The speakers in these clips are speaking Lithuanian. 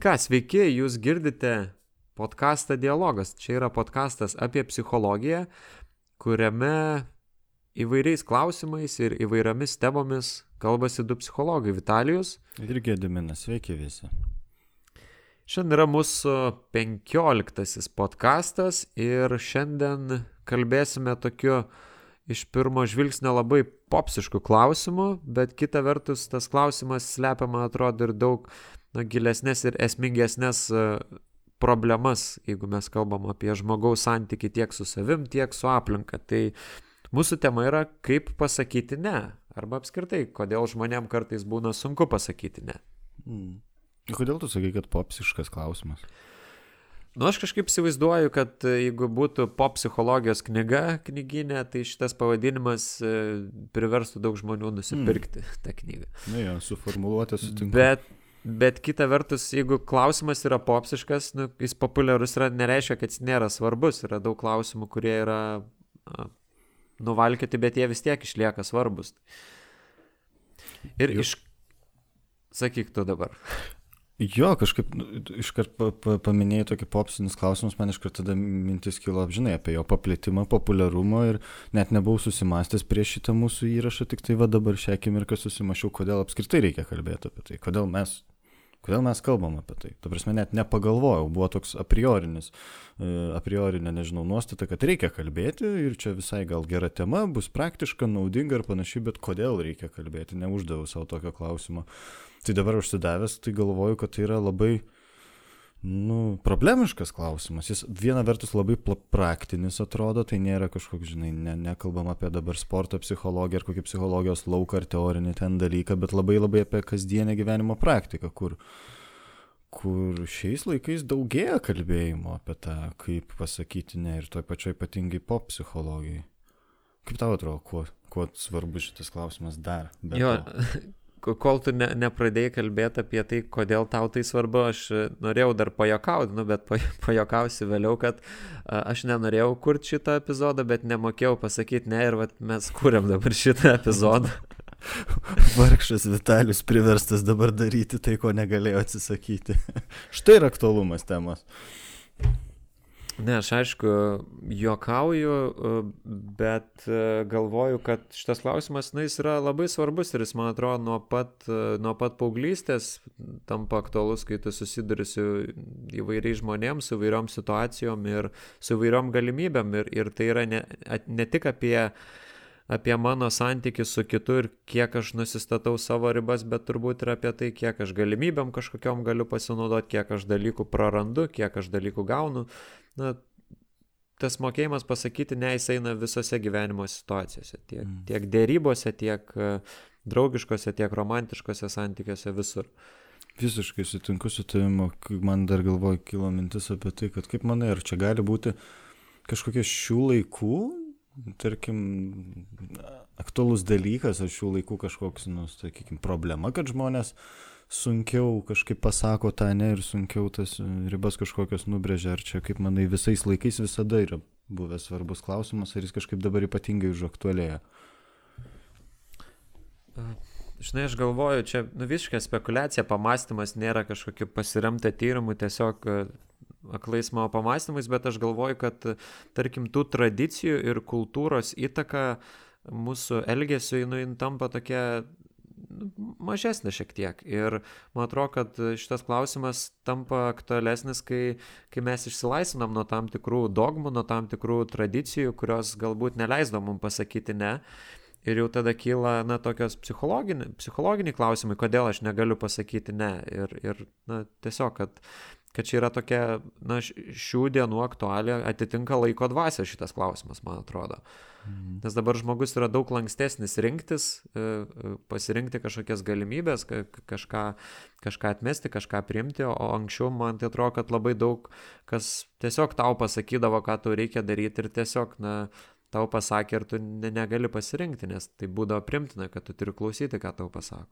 ką, sveiki, jūs girdite podcastą Dialogas. Čia yra podcastas apie psichologiją, kuriame įvairiais klausimais ir įvairiomis temomis kalbasi du psichologai – Vitalijus ir Gediminas. Sveiki visi. Šiandien yra mūsų 15 podcastas ir šiandien kalbėsime tokiu iš pirmo žvilgsnio labai popsiškų klausimų, bet kita vertus tas klausimas slepia, man atrodo, ir daug gilesnės ir esmingesnės problemas, jeigu mes kalbam apie žmogaus santykį tiek su savim, tiek su aplinka. Tai mūsų tema yra, kaip pasakyti ne, arba apskritai, kodėl žmonėm kartais būna sunku pasakyti ne. Kodėl tu sakai, kad popsiškas klausimas? Aš kažkaip įsivaizduoju, kad jeigu būtų pop psichologijos knyga knyginė, tai šitas pavadinimas priverstų daug žmonių nusipirkti tą knygą. Jo, suformuluotę sutinku. Bet kita vertus, jeigu klausimas yra popsiškas, jis populiarus yra, nereiškia, kad jis nėra svarbus. Yra daug klausimų, kurie yra nuvalkioti, bet jie vis tiek išlieka svarbus. Ir sakyk tu dabar. Jo, kažkaip iškart paminėjai tokį popsinius klausimus, man iškart tada mintis kilo, žinai, apie jo paplitimą, populiarumą ir net nebuvau susimastęs prieš šitą mūsų įrašą, tik tai va dabar šią akimirką susimašiau, kodėl apskritai reikia kalbėti apie tai, kodėl mes kalbam apie tai. Ta prasme, net nepagalvojau, buvo toks apriorinė, nežinau, nuostata, kad reikia kalbėti ir čia visai gal gera tema, bus praktiška, naudinga ir panašiai, bet kodėl reikia kalbėti, neuždaviau savo tokio klausimo. Tai dabar užsidavęs, tai galvoju, kad tai yra labai, problemiškas klausimas. Jis viena vertus labai praktinis atrodo, tai nėra kažkoks, žinai, nekalbam apie dabar sporto psichologiją ar kokį psichologijos lauką ar teorinį ten dalyką, bet labai apie kasdienę gyvenimo praktiką, kur šiais laikais daugėja kalbėjimo apie tą, kaip pasakyti ne, ir toj pačioj ypatingai pop psichologijai. Kaip tau atrodo, kuo svarbus šitas klausimas dar? Kol tu nepradėjai kalbėti apie tai, kodėl tau tai svarbu, aš norėjau dar pajuokauti, bet pajuokausiu vėliau, kad aš nenorėjau kurti šitą epizodą, bet nemokėjau pasakyti ne ir mes kūrėm dabar šitą epizodą. Vargšas Vitalijus priverstas dabar daryti tai, ko negalėjo atsisakyti. Štai ir aktualumas temos. Ne, aš aišku juokauju, bet galvoju, kad šitas klausimas, jis yra labai svarbus ir jis, man atrodo, nuo pat paauglystės tampa aktualus, kai tu susiduri su įvairiais žmonėms, su įvairiom situacijom ir su įvairiom galimybėm. Ir tai yra ne tik apie mano santykių su kitu ir kiek aš nusistatau savo ribas, bet turbūt ir apie tai, kiek aš galimybėm kažkokiom galiu pasinaudoti, kiek aš dalykų prarandu, kiek aš dalykų gaunu. Tas mokėjimas pasakyti ne, jis eina visose gyvenimo situacijose, tiek dėrybose, tiek draugiškose, tiek romantiškose santykiuose, visur. Visiškai sutinku su tavimi, man dar galvoju kilo mintis apie tai, kad kaip manai, ar čia gali būti kažkokie šių laikų, tarkim, aktualus dalykas, ar šių laikų kažkoks, sakykim, problema, kad žmonės sunkiau kažkaip pasako tą ne ir sunkiau tas ribas kažkokios nubrėžia, ar čia, kaip manai, visais laikais visada yra buvęs svarbus klausimas, ar jis kažkaip dabar ypatingai užaktualėja? Žinai, aš galvoju, čia visiškai spekulacija, pamąstymas nėra kažkokiu pasiremta tyrimu, tiesiog aklais mano pamąstymais, bet aš galvoju, kad, tarkim, tų tradicijų ir kultūros įtaka mūsų elgesiui, tampa tokia mažesnė šiek tiek. Ir man atrodo, kad šitas klausimas tampa aktualesnis, kai mes išsilaisvinam nuo tam tikrų dogmų, nuo tam tikrų tradicijų, kurios galbūt neleisdo mums pasakyti ne. Ir jau tada kyla, tokios psichologiniai klausimai, kodėl aš negaliu pasakyti ne. Ir tiesiog, kad čia yra tokia, šių dienų aktualija, atitinka laiko dvasia šitas klausimas, man atrodo. Nes dabar žmogus yra daug lankstesnis rinktis, pasirinkti kažkokias galimybės, kažką atmesti, kažką priimti, o anksčiau man tai atrodo, kad labai daug kas tiesiog tau pasakydavo, ką tau reikia daryti ir tiesiog, tau pasakė ir tu negali pasirinkti, nes tai būdavo primtina, kad tu turi klausyti, ką tau pasako.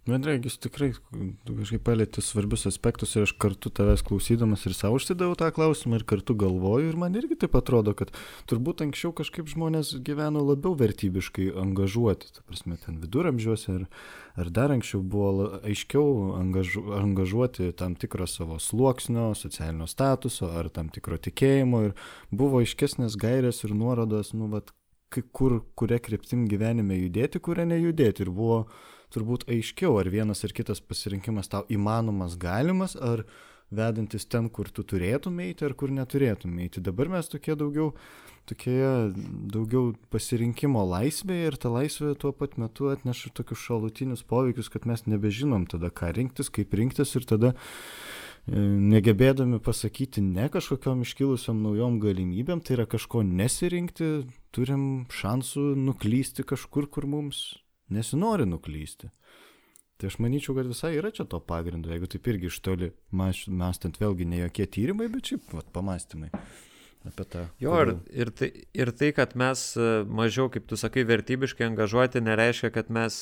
Man regis tikrai kažkaip palėtė svarbius aspektus ir aš kartu tavęs klausydamas ir savo užsidaviau tą klausimą ir kartu galvoju ir man irgi taip atrodo, kad turbūt anksčiau kažkaip žmonės gyveno labiau vertybiškai angažuoti, ta prasme, ten viduramžiuose ar dar anksčiau buvo aiškiau angažuoti tam tikro savo sluoksnio, socialinio statuso ar tam tikro tikėjimo ir buvo aiškesnės gairės ir nuorodos, kuria kryptim gyvenime judėti, kuria nejudėti ir buvo turbūt aiškiau, ar vienas ar kitas pasirinkimas tau įmanomas, galimas, ar vedantis ten, kur tu turėtum eiti, ar kur neturėtum eiti. Dabar mes tokie daugiau pasirinkimo laisvėje ir ta laisvė tuo pat metu atneša tokius šalutinius poveikius, kad mes nebežinom tada, ką rinktis, kaip rinktis ir tada negebėdami pasakyti ne kažkokiom iškilusiom naujom galimybėm, tai yra kažko nesirinkti, turim šansų nuklysti kažkur, kur mums nesinori nuklysti. Tai aš manyčiau, kad visai yra čia to pagrindo, jeigu taip irgi iš toli mąstant vėlgi ne jokie tyrimai, bet šiaip pamąstymai apie tą. Jo, ir tai, kad mes mažiau, kaip tu sakai, vertybiškai angažuoti, nereiškia, kad mes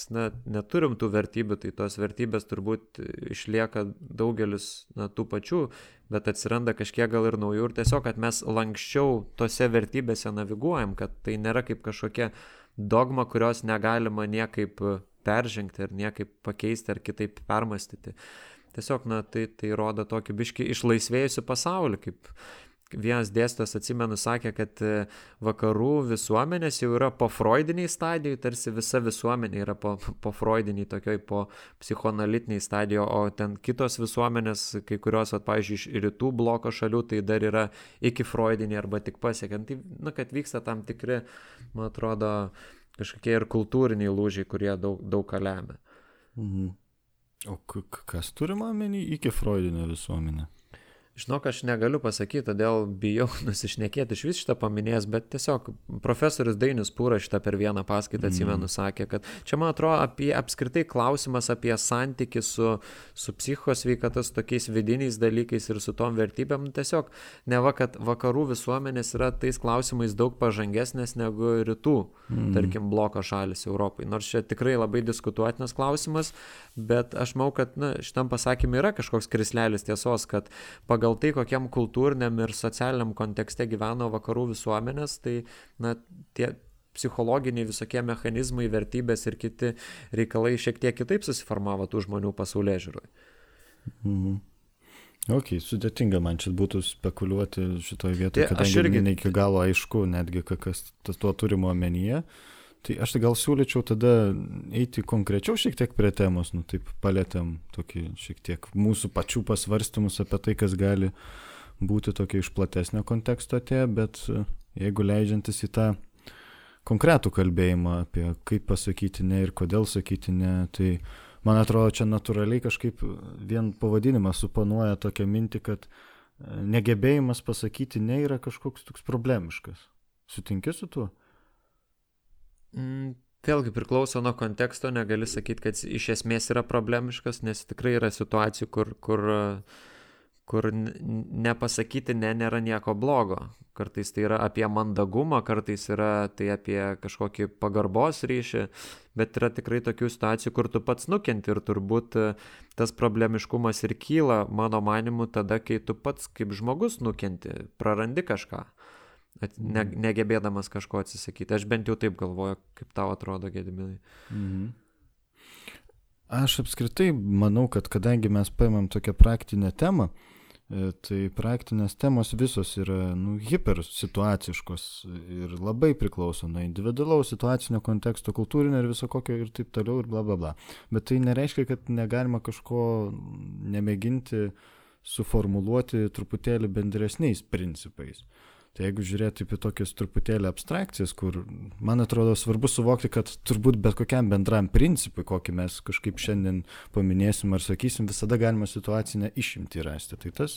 neturim tų vertybių, tai tos vertybės turbūt išlieka daugelis tų pačių, bet atsiranda kažkiek gal ir naujų ir tiesiog, kad mes lankščiau tose vertybėse naviguojam, kad tai nėra kaip kažkokia dogma, kurios negalima niekaip peržengti ar niekaip pakeisti ar kitaip permastyti. Tiesiog, tai rodo tokį biškį išlaisvėjusių pasaulį, kaip vienas dėstytojas, atsimenu, sakė, kad vakarų visuomenės jau yra po freudiniai stadijai, tarsi visa visuomenė yra po freudiniai, tokioj po psichoanalitiniai stadijai, o ten kitos visuomenės, kai kurios, pavyzdžiui, iš rytų bloko šalių, tai dar yra iki freudiniai arba tik pasiekiant. Tai, kad vyksta tam tikri, man atrodo, kažkokie ir kultūriniai lūžiai, kurie daug ką lemia. Mhm. O kas turima omeny iki freudinio visuomenė? Žinok, aš negaliu pasakyti, todėl bijau nusišnekėti iš vis šitą paminėjęs, bet tiesiog profesorius Dainius Pūras šitą per vieną paskaitą, atsimenu, sakė, kad čia, man atrodo, apskritai klausimas apie santykį su psichikos sveikata, su tokiais vidiniais dalykais ir su tom vertybėm, tiesiog neva, kad vakarų visuomenės yra tais klausimais daug pažangesnės negu rytų, tarkim, bloko šalis Europai. Nors čia tikrai labai diskutuotinas klausimas, bet aš manau, kad šitam pasakymui yra kažkoks krislelis tiesos, kad pagal tai, kokiam kultūriniam ir socialiniam kontekste gyveno vakarų visuomenės, tai tie psichologiniai visokie mechanizmai, vertybės ir kiti reikalai šiek tiek kitaip susiformavo tų žmonių pasaulyježiūroje. Mhm. Ok, sudėtinga man čia būtų spekuliuoti šitoje vietoje, kadangi ne iki galo aišku netgi, kas tuo turimo omenyje. Tai aš gal siūlyčiau tada eiti konkrečiau šiek tiek prie temos, taip palėtėm tokį šiek tiek mūsų pačių pasvarstymus apie tai, kas gali būti tokia iš platesnio konteksto atėję, bet jeigu leidžiantis į tą konkretų kalbėjimą apie kaip pasakyti ne ir kodėl sakyti ne, tai man atrodo čia natūraliai kažkaip vien pavadinimas suponuoja tokią mintį, kad negebėjimas pasakyti ne yra kažkoks toks problemiškas. Sutinki su tuo? Vėlgi priklauso nuo konteksto, negali sakyti, kad iš esmės yra problemiškas, nes tikrai yra situacijų, kur nepasakyti ne nėra nieko blogo. Kartais tai yra apie mandagumą, kartais yra tai apie kažkokį pagarbos ryšį, bet yra tikrai tokių situacijų, kur tu pats nukenti ir turbūt tas problemiškumas ir kyla, mano manimu, tada, kai tu pats kaip žmogus nukenti, prarandi kažką. Negebėdamas kažko atsisakyti. Aš bent jau taip galvoju, kaip tau atrodo, Gediminai. Mhm. Aš apskritai manau, kad kadangi mes paimam tokią praktinę temą, tai praktinės temos visos yra hipersituaciškos ir labai priklauso nuo individualaus situacinio konteksto, kultūrinio ir viso kokio ir taip toliau ir bla bla bla. Bet tai nereiškia, kad negalima kažko nemėginti suformuluoti truputėlį bendresniais principais. Tai jeigu žiūrėti apie tokias truputėlį abstrakcijas, kur, man atrodo, svarbu suvokti, kad turbūt bet kokiam bendram principui, kokį mes kažkaip šiandien paminėsim ar sakysim, visada galima situacinę išimtį rasti. Tai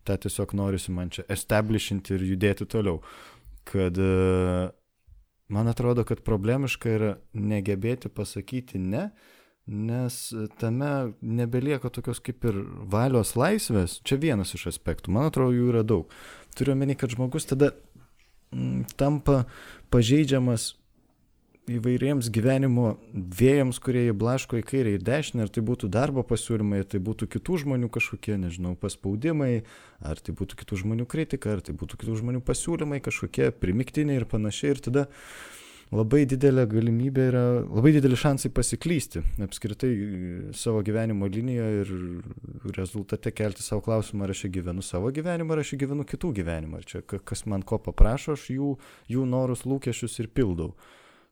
tą tiesiog norisi man čia establishinti ir judėti toliau. Kad man atrodo, kad problemiška yra negebėti pasakyti ne, nes tame nebelieka tokios kaip ir valios laisvės. Čia vienas iš aspektų, man atrodo, jų yra daug. Turiu omeny, kad žmogus tada tampa pažeidžiamas įvairiems gyvenimo vėjams, kurie įblaško į kairę ir dešinę, ar tai būtų darbo pasiūlymai, ar tai būtų kitų žmonių kažkokie, nežinau, paspaudimai, ar tai būtų kitų žmonių kritika, ar tai būtų kitų žmonių pasiūlymai kažkokie primiktiniai ir panašiai. Ir tada labai didelė galimybė yra, labai dideli šansai pasiklysti apskritai savo gyvenimo linijoje ir rezultate kelti savo klausimą, ar aš gyvenu savo gyvenimą, ar aš gyvenu kitų gyvenimą. Ar čia kas man ko paprašo, aš jų norus, lūkesčius ir pildau.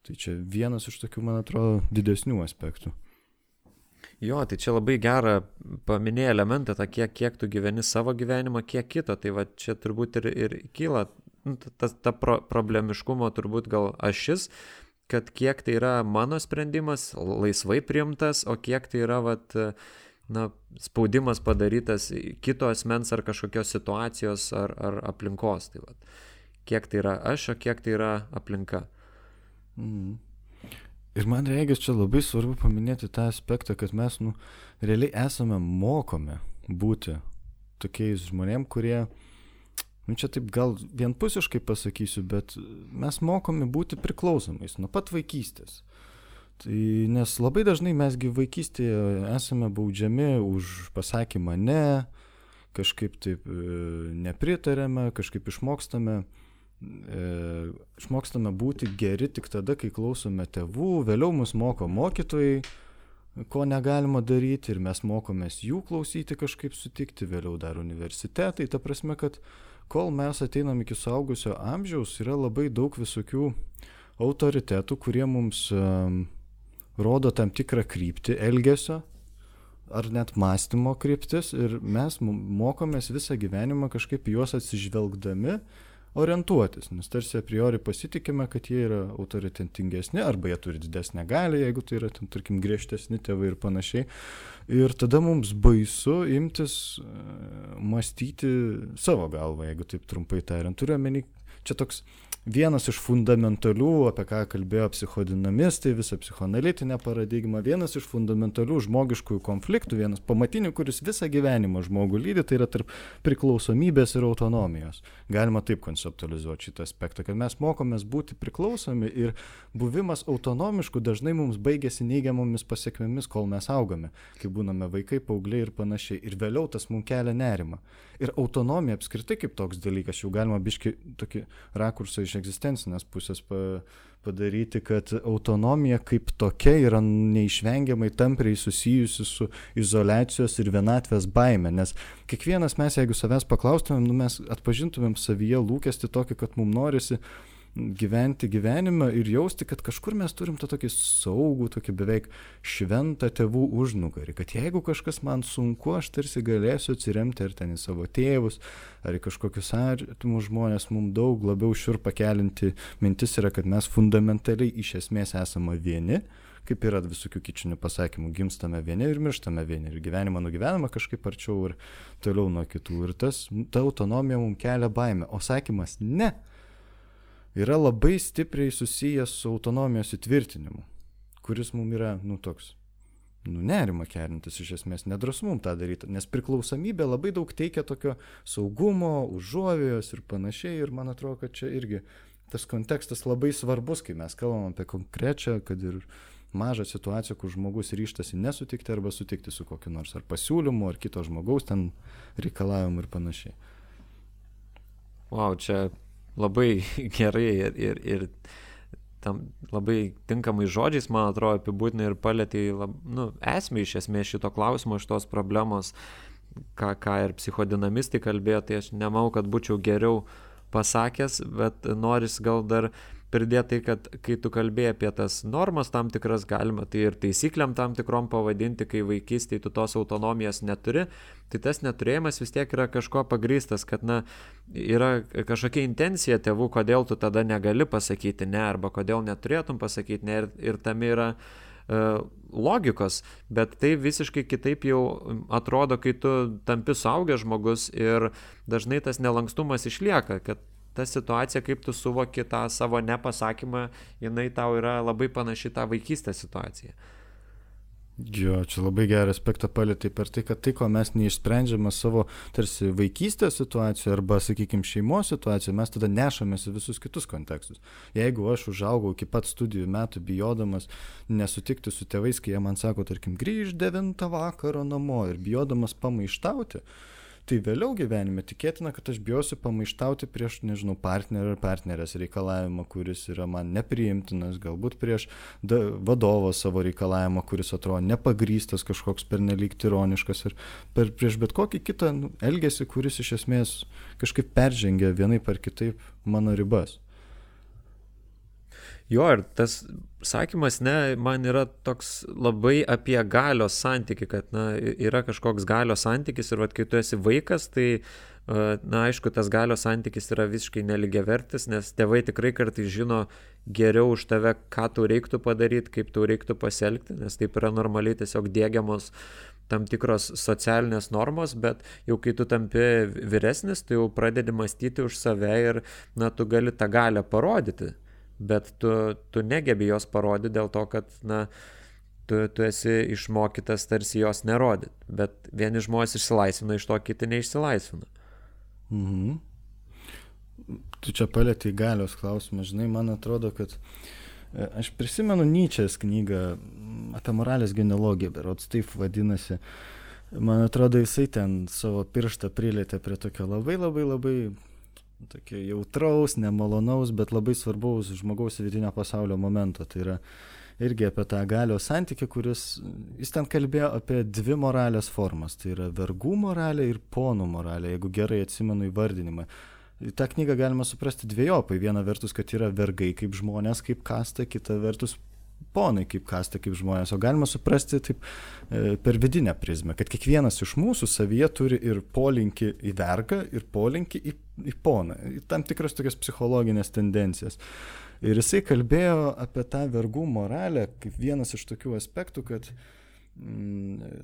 Tai čia vienas iš tokių, man atrodo, didesnių aspektų. Jo, tai čia labai gerą paminėjai elementą, tą kiek tu gyveni savo gyvenimą, kiek kito. Tai va čia turbūt ir kyla ta problemiškumo turbūt gal ašis, kad kiek tai yra mano sprendimas, laisvai priimtas, o kiek tai yra spaudimas padarytas kito asmens ar kažkokios situacijos ar aplinkos. Tai va, kiek tai yra aš, o kiek tai yra aplinka. Ir man regis čia labai svarbu paminėti tą aspektą, kad mes realiai esame mokomi būti tokiais žmonėm, kurie, čia taip gal vienpusiškai pasakysiu, bet mes mokomi būti priklausomais nuo pat vaikystės. Tai, nes labai dažnai mesgi vaikystėje esame baudžiami už pasakymą ne, kažkaip taip nepritarėme, kažkaip išmokstame būti geri tik tada, kai klausome tėvų, vėliau mus moko mokytojai, ko negalima daryti ir mes mokomės jų klausyti, kažkaip sutikti, vėliau dar universitetai. Ta prasme, kad kol mes ateinam iki suaugusio amžiaus, yra labai daug visokių autoritetų, kurie mums rodo tam tikrą kryptį elgesio ar net mąstymo kryptis ir mes mokomės visą gyvenimą kažkaip juos atsižvelgdami orientuotis, nes tarsi a priori pasitikime, kad jie yra autoritetingesni arba jie turi didesnę galią, jeigu tai yra, tarkim, griežtesni tėvai ir panašiai. Ir tada mums baisu imtis mąstyti savo galvą, jeigu taip trumpai tariant. Turiu omeny, čia toks vienas iš fundamentalių, apie ką kalbėjo psichodinamistai, visa psichoanalitinė paradigma, vienas iš fundamentalių žmogiškųjų konfliktų, vienas pamatinių, kuris visą gyvenimą žmogų lydi, tai yra tarp priklausomybės ir autonomijos. Galima taip konceptualizuoti šitą aspektą, kad mes mokomės būti priklausomi ir buvimas autonomišku dažnai mums baigėsi neigiamomis pasiekmėmis, kol mes augame, kai būname vaikai, paaugliai ir panašiai. Ir vėliau tas mums kelia nerimą. Ir autonomija apskritai kaip toks dalykas, jau galima biški tokį rakursą iš egzistencinės pusės padaryti, kad autonomija kaip tokia yra neišvengiamai tampriai susijusi su izoliacijos ir vienatvės baime, nes kiekvienas mes, jeigu savęs paklaustumėm, mes atpažintumėm savyje lūkestį tokį, kad mums norisi gyventi gyvenimą ir jausti, kad kažkur mes turim tą tokį saugų, tokį beveik šventą tėvų užnugarį, kad jeigu kažkas man sunku, aš tarsi galėsiu atsiremti ar ten į savo tėvus, ar į kažkokius artimus žmonės. Mums daug labiau šiurpą kelinti mintis yra, kad mes fundamentaliai iš esmės esame vieni, kaip yra visokių kičinių pasakymų, gimstame vieni ir mirštame vieni, ir gyvenimą nugyvename kažkaip arčiau ir toliau nuo kitų. Ir ta autonomija mums kelia baimę, o sakymas ne yra labai stipriai susijęs su autonomijos įtvirtinimu, kuris mums yra, toks, nerima keliantis iš esmės, nedrąsu mums tą daryti, nes priklausomybė labai daug teikia tokio saugumo, užuovėjos ir panašiai, ir man atrodo, kad čia irgi tas kontekstas labai svarbus, kai mes kalbam apie konkrečią, kad ir mažą situaciją, kur žmogus ryštasi nesutikti arba sutikti su kokiu nors ar pasiūlymu, ar kito žmogaus ten reikalavimu ir panašiai. Wow, čia labai gerai ir tam labai tinkamai žodžiais, man atrodo, apibūdinai ir palėtė esmę iš esmės šito klausimo, šitos problemos, ką ir psichodinamistai kalbėjo, tai aš nemanau, kad būčiau geriau pasakęs, bet noris gal dar pridėti tai, kad kai tu kalbėjai apie tas normas tam tikras, galima tai ir taisyklėm tam tikrom pavadinti, kai vaikystėje tu tos autonomijos neturi, tai tas neturėjimas vis tiek yra kažko pagrįstas, kad yra kažkokia intencija tėvų, kodėl tu tada negali pasakyti ne, arba kodėl neturėtum pasakyti ne, ir tam yra logikos, bet tai visiškai kitaip jau atrodo, kai tu tampi suaugęs žmogus ir dažnai tas nelankstumas išlieka, kad ta situacija, kaip tu suvoki tą savo nepasakymą, jinai tau yra labai panaši tą vaikystės situaciją. Jo, čia labai gerą aspektą palėtė per tai, kad tai, ko mes neišsprendžiame savo tarsi vaikystės situacijoje arba, sakykime, šeimos situacijoje, mes tada nešamės į visus kitus kontekstus. Jeigu aš užaugau iki pat studijų metų bijodamas nesutikti su tėvais, kai jie man sako, tarkim, grįž 9 vakaro namo ir bijodamas pamaištauti, tai vėliau gyvenime tikėtina, kad aš bijosiu pamaištauti prieš, nežinau, partnerį ar partnerės reikalavimą, kuris yra man nepriimtinas, galbūt prieš vadovo savo reikalavimą, kuris atrodo nepagrystas, kažkoks pernelyg tironiškas ir prieš bet kokį kitą elgesį, kuris iš esmės kažkaip peržengia vienaip ar kitaip mano ribas. Jo, ir tas sakymas, ne, man yra toks labai apie galios santykį, kad, na, yra kažkoks galios santykis ir, vat, kai tu esi vaikas, tai, na, aišku, tas galios santykis yra visiškai nelygiavertis, nes tėvai tikrai kartais žino geriau už tave, ką tau reiktų padaryti, kaip tau reiktų pasielgti, nes taip yra normaliai tiesiog diegiamos tam tikros socialinės normos, bet jau kai tu tampi vyresnis, tu jau pradedi mąstyti už save ir, na, tu gali tą galią parodyti. Bet tu negebi jos parodyti dėl to, kad, na, tu esi išmokytas tarsi jos nerodyti. Bet vieni žmonės išsilaisvina iš to, kiti neišsilaisvina. Mhm. Tu čia palėtei galios klausimą. Žinai, man atrodo, kad aš prisimenu Nyčės knygą apie moralės genealogiją, berods taip vadinasi. Man atrodo, jisai ten savo pirštą prilietė prie tokio labai tokio jautraus, nemalonaus, bet labai svarbaus žmogaus vidinio pasaulio momento. Tai yra irgi apie tą galios santykį, jis ten kalbėjo apie 2 moralės formas. Tai yra vergų moralė ir ponų moralė, jeigu gerai atsimenu įvardinimą. tą knygą galima suprasti dvejopai. Viena vertus, kad yra vergai kaip žmonės, kaip kasta, kita vertus ponai kaip kasta, kaip žmonės. O galima suprasti taip per vidinę prizmę, kad kiekvienas iš mūsų savyje turi ir polinkį į vergą, ir polinkį į poną. Tam tikras tokias psichologinės tendencijas. Ir jisai kalbėjo apie tą vergų moralę kaip vienas iš tokių aspektų, kad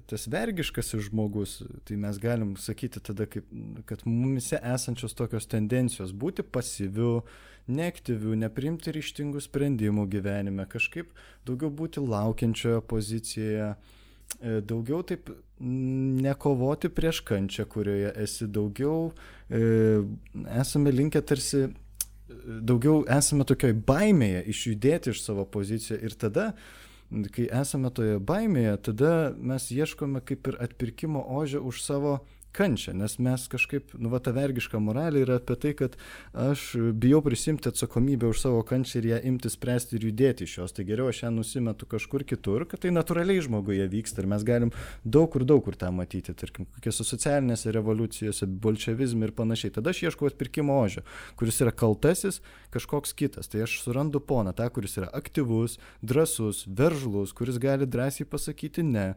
tas vergiškasis žmogus, tai mes galim sakyti tada, kad mumise esančios tokios tendencijos būti pasyviu, neaktyviu, nepriimti ryžtingų sprendimų gyvenime, kažkaip daugiau būti laukiančioje pozicijoje, daugiau taip nekovoti prieš kančią, kurioje esi, daugiau esame linkę tarsi, daugiau esame tokioj baimėje išjudėti iš savo poziciją ir tada, kai esame toje baimėje, tada mes ieškome kaip ir atpirkimo ožio už savo kančią, nes mes kažkaip, ta vergiška moralė yra apie tai, kad aš bijau prisimti atsakomybę už savo kančią ir ją imti spręsti ir judėti iš jos, tai geriau aš ją nusimetu kažkur kitur, kad tai natūraliai žmoguje vyksta ir mes galim daug kur tą matyti, tarkim, kokiose socialinėse revoliucijose, bolševizme ir panašiai. Tada aš ieškau atpirkimo ožio, kuris yra kaltasis kažkoks kitas, tai aš surandu poną, tą, kuris yra aktyvus, drąsus, veržlus, kuris gali drąsiai pasakyti ne,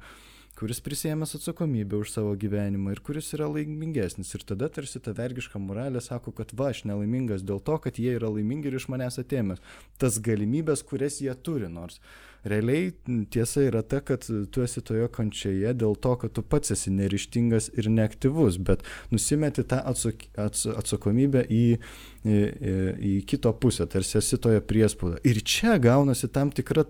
kuris prisiėmęs atsakomybę už savo gyvenimą ir kuris yra laimingesnis. Ir tada tarsi ta vergiška moralė sako, kad aš nelaimingas dėl to, kad jie yra laimingi ir iš manęs atėmęs tas galimybės, kurias jie turi, nors realiai tiesa yra ta, kad tu esi toje kančioje dėl to, kad tu pats esi neryžtingas ir neaktyvus, bet nusimeti tą atsakomybę į kito pusę, tarsi esi toje priespaudoje. Ir čia gaunasi tam tikra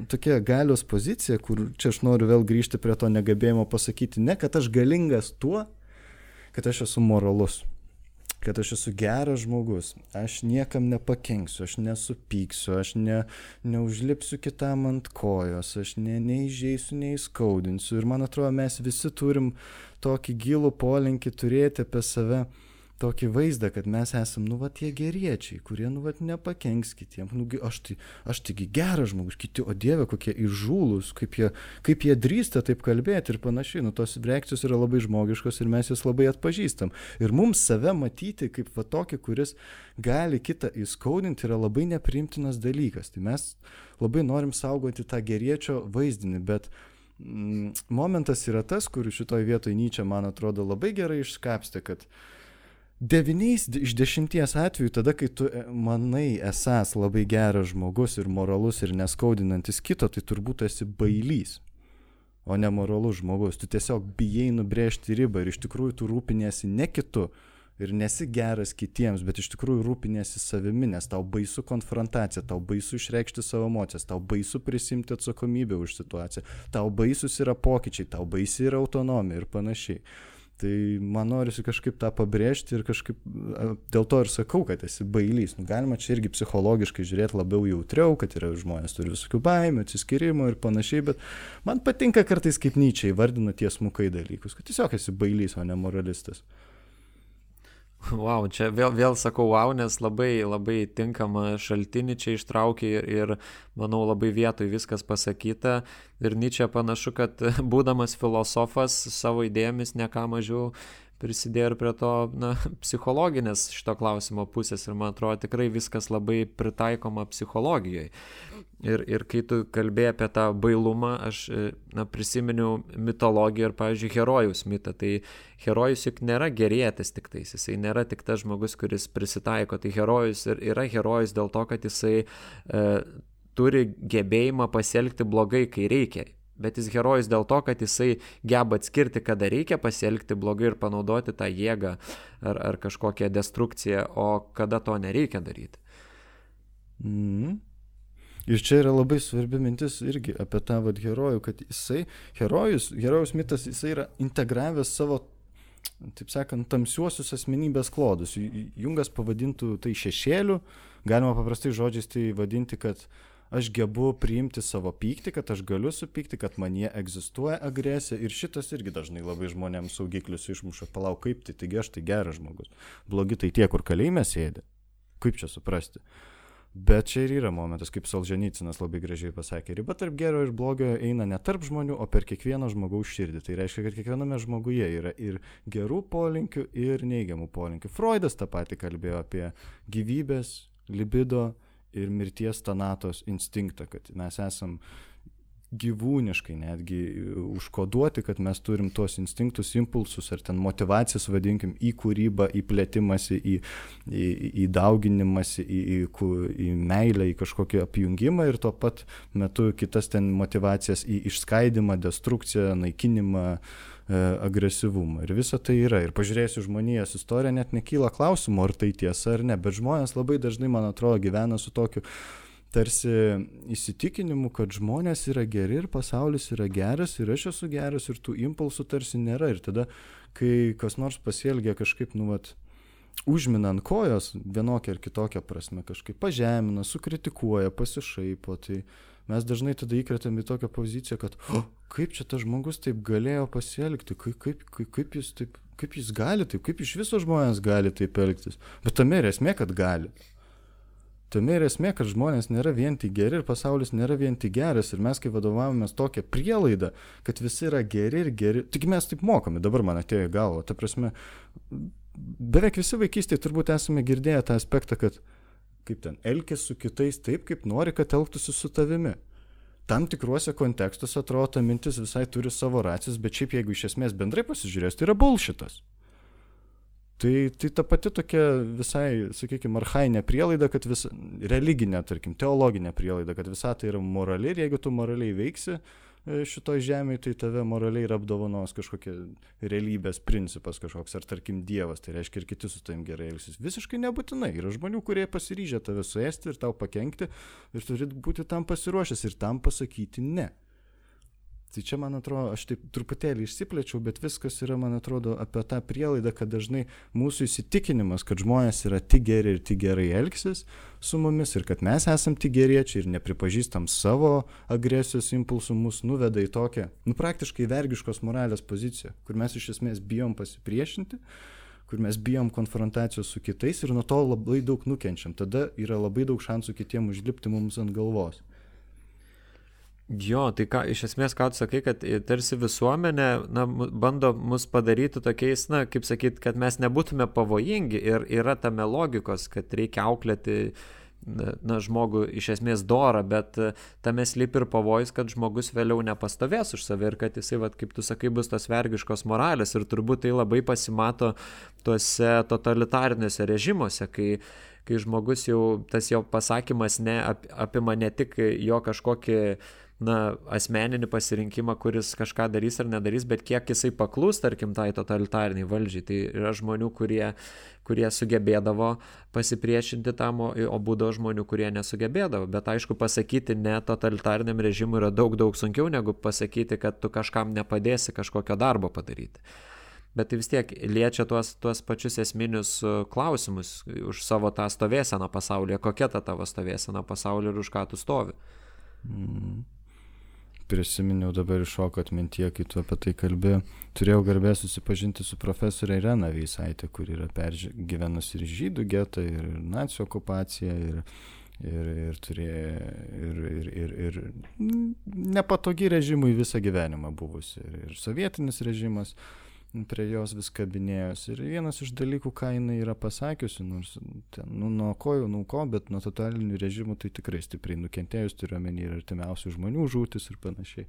tokia galios pozicija, kur čia aš noriu vėl grįžti prie to negebėjimo pasakyti ne, kad aš galingas tuo, kad aš esu moralus, kad aš esu geras žmogus, aš niekam nepakenksiu, aš nesupyksiu, aš neužlipsiu kitam ant kojos, aš neįžeisiu, neįskaudinsiu. Ir man atrodo, mes visi turim tokį gilų polinkį turėti apie save tokį vaizdą, kad mes esam, tie geriečiai, kurie, nepakenks kitiem. Aš taigi geras žmogus, kiti, o Dieve, kokie įžūlus, kaip jie drįsta taip kalbėti ir panašiai. Tos reakcijos yra labai žmogiškos ir mes jas labai atpažįstam. Ir mums save matyti kaip tokį, kuris gali kitą įskaudinti, yra labai nepriimtinas dalykas. Tai mes labai norim saugoti tą geriečio vaizdinį, bet momentas yra tas, kur šitoj vietoj Nyčė, man atrodo, labai gerai išskapstė, kad 9 iš 10 atvejų, tada, kai tu manai esas labai geras žmogus ir moralus ir neskaudinantis kito, tai turbūt esi bailys, o ne moralus žmogus. Tu tiesiog bijai nubrėžti ribą ir iš tikrųjų tu rūpiniesi ne kitu, ir nesi geras kitiems, bet iš tikrųjų rūpinėsi savimi, nes tau baisu konfrontacija, tau baisu išreikšti savo emocijas, tau baisu prisimti atsakomybę už situaciją, tau baisus yra pokyčiai, tau baisi yra autonomija ir panašiai. Tai man norisi kažkaip tą pabrėžti ir kažkaip dėl to ir sakau, kad esi bailys. Galima čia irgi psichologiškai žiūrėti labiau jautriau, kad yra žmonės turi visokių baimių, atsiskyrimo ir panašiai, bet man patinka kartais kaip Nyčė įvardina tiesmukai dalykus, kad tiesiog esi bailys, o ne moralistas. Wow, čia vėl sakau wow, nes labai tinkama šaltinį čia ištraukė ir manau labai vietoj viskas pasakyta. Ir Nyčė panašu, kad būdamas filosofas savo idėjomis ne ką mažiau prisidėjo ir prie to psichologinės šito klausimo pusės ir man atrodo tikrai viskas labai pritaikoma psichologijoje. Ir kai tu kalbėjai apie tą bailumą, aš prisiminiau mitologiją ir, pavyzdžiui, herojaus mitą. Tai herojus juk nėra gerietis tik tais, jisai nėra tik tas žmogus, kuris prisitaiko. Tai herojus yra herojus dėl to, kad jisai turi gebėjimą pasielgti blogai, kai reikia. Bet jis herojus dėl to, kad jisai geba atskirti, kada reikia pasielgti blogai ir panaudoti tą jėgą ar kažkokią destrukciją, o kada to nereikia daryti. Ir čia yra labai svarbi mintis irgi apie tą herojų, kad jisai, herojaus mitas, jisai yra integravęs savo, taip sakant, tamsiuosius asmenybės klodus. Jungas pavadintų tai šešėliu, galima paprastai žodžiais tai vadinti, kad aš gebu priimti savo pyktį, kad aš galiu supykti, kad manyje egzistuoja agresija ir šitas irgi dažnai labai žmonėms saugiklius išmuša. Palauk, kaip tai, taigi aš tai geras žmogus. Blogi tai tie, kur kalėjime sėdi. Kaip čia suprasti? Bet čia ir yra momentas, kaip Solženicinas labai gražiai pasakė, riba tarp gero ir blogio eina ne tarp žmonių, o per kiekvieno žmogaus širdį. Tai reiškia, kad kiekviename žmoguje yra ir gerų polinkių, ir neigiamų polinkių. Freudas tą patį kalbėjo apie gyvybės, libido ir mirties tanatos instinktą, kad mes esam gyvūniškai netgi užkoduoti, kad mes turim tuos instinktus, impulsus ar ten motivacijas, vadinkim, į kūrybą, į plėtimąsi, į dauginimąsi, į meilę, į kažkokį apjungimą ir tuo pat metu kitas ten motivacijas į išskaidimą, destrukciją, naikinimą, agresyvumą. Ir visa tai yra. Ir pažiūrėsiu žmonijos istoriją, net nekyla klausimų, ar tai tiesa ar ne, bet žmonės labai dažnai, man atrodo, gyvena su tokiu tarsi įsitikinimu, kad žmonės yra geri ir pasaulis yra geras ir aš esu geras ir tų impulsų tarsi nėra. Ir tada, kai kas nors pasielgia kažkaip, užmina ant kojos vienokią ar kitokią prasme, kažkaip pažemina, sukritikuoja, pasišaipo, tai mes dažnai tada įkretėm į tokią poziciją, kad kaip čia tas žmogus taip galėjo pasielgti, kaip jis gali taip, kaip iš viso žmonės gali taip elgtis. Bet tame ir esmė, kad gali. Tame ir esmė, kad žmonės nėra vien tik geri ir pasaulis nėra vien tik geras ir mes, kai vadovavomės tokią prielaidą, kad visi yra geri ir geri, tik mes taip mokame, dabar man atėjo į galvą, ta prasme, beveik visi vaikystėje turbūt esame girdėję tą aspektą, kad kaip ten, elkis su kitais taip, kaip nori, kad elgtųsi su tavimi. Tam tikruose kontekstuose atrodo, ta mintis visai turi savo racijas, bet šiaip jeigu iš esmės bendrai pasižiūrės, tai yra bullshitas. Tai ta pati tokia visai, sakykime, archainė prielaida, kad religinė, tarkim, teologinė prielaida, kad visata yra morali ir jeigu tu moraliai veiksi šitoj žemėje, tai tave moraliai ir apdovanos kažkokia realybės principas kažkoks, ar tarkim Dievas, tai reiškia ir kiti su tavim gerai elgsis. Visiškai nebūtinai. Yra žmonių, kurie pasiryžę tave suėsti ir tau pakenkti ir turi būti tam pasiruošęs ir tam pasakyti ne. Tai čia, man atrodo, aš taip truputėlį išsiplečiau, bet viskas yra, man atrodo, apie tą prielaidą, kad dažnai mūsų įsitikinimas, kad žmonės yra tik geri ir tik gerai elgsis su mumis ir kad mes esam tik geriečiai ir nepripažįstam savo agresijos impulsų, mus nuveda į tokią, praktiškai vergiškos moralės poziciją, kur mes iš esmės bijom pasipriešinti, kur mes bijom konfrontacijos su kitais ir nuo to labai daug nukenčiam. Tada yra labai daug šansų kitiem užlipti mums ant galvos. Jo, tai iš esmės, ką tu sakai, kad tarsi visuomenė bando mus padaryti tokiais, kaip sakyt, kad mes nebūtume pavojingi ir yra tame logikos, kad reikia auklėti žmogų iš esmės dorą, bet tame slypi ir pavojus, kad žmogus vėliau nepastovės už save ir kad jisai, kaip tu sakai, bus tos vergiškos moralės ir turbūt tai labai pasimato tuose totalitariniuose režimuose, kai žmogus jau, tas jo pasakymas apima ne tik jo kažkokį asmeninį pasirinkimą, kuris kažką darys ar nedarys, bet kiek jisai paklūs, tarkim, tai totalitariniai valdžiai. Tai yra žmonių, kurie sugebėdavo pasipriešinti tam, o būdavo žmonių, kurie nesugebėdavo. Bet aišku, pasakyti ne totalitariniam režimui yra daug sunkiau, negu pasakyti, kad tu kažkam nepadėsi kažkokio darbo padaryti. Bet tai vis tiek liečia tuos pačius esminius klausimus už savo tą stovėseną pasaulyje. Kokia ta tavo stovėsena pasaulyje ir už ką tu stovi? Prisiminiau dabar iššoko atmintie, kai tu apie tai kalbėjai. Turėjau garbę susipažinti su profesorė Irena Veisaitė, kuri yra pergyvenusi ir žydų getą, ir nacių okupaciją, ir turėjo ir nepatogi režimui visą gyvenimą buvusi. Ir sovietinis režimas prie jos vis kabinėjos. Ir vienas iš dalykų, ką jinai yra pasakiusi, nors ten, nuo ko, bet nuo totalinių režimų tai tikrai stipriai nukentėjus, turiu omeny ir artimiausių žmonių žūtis ir panašiai.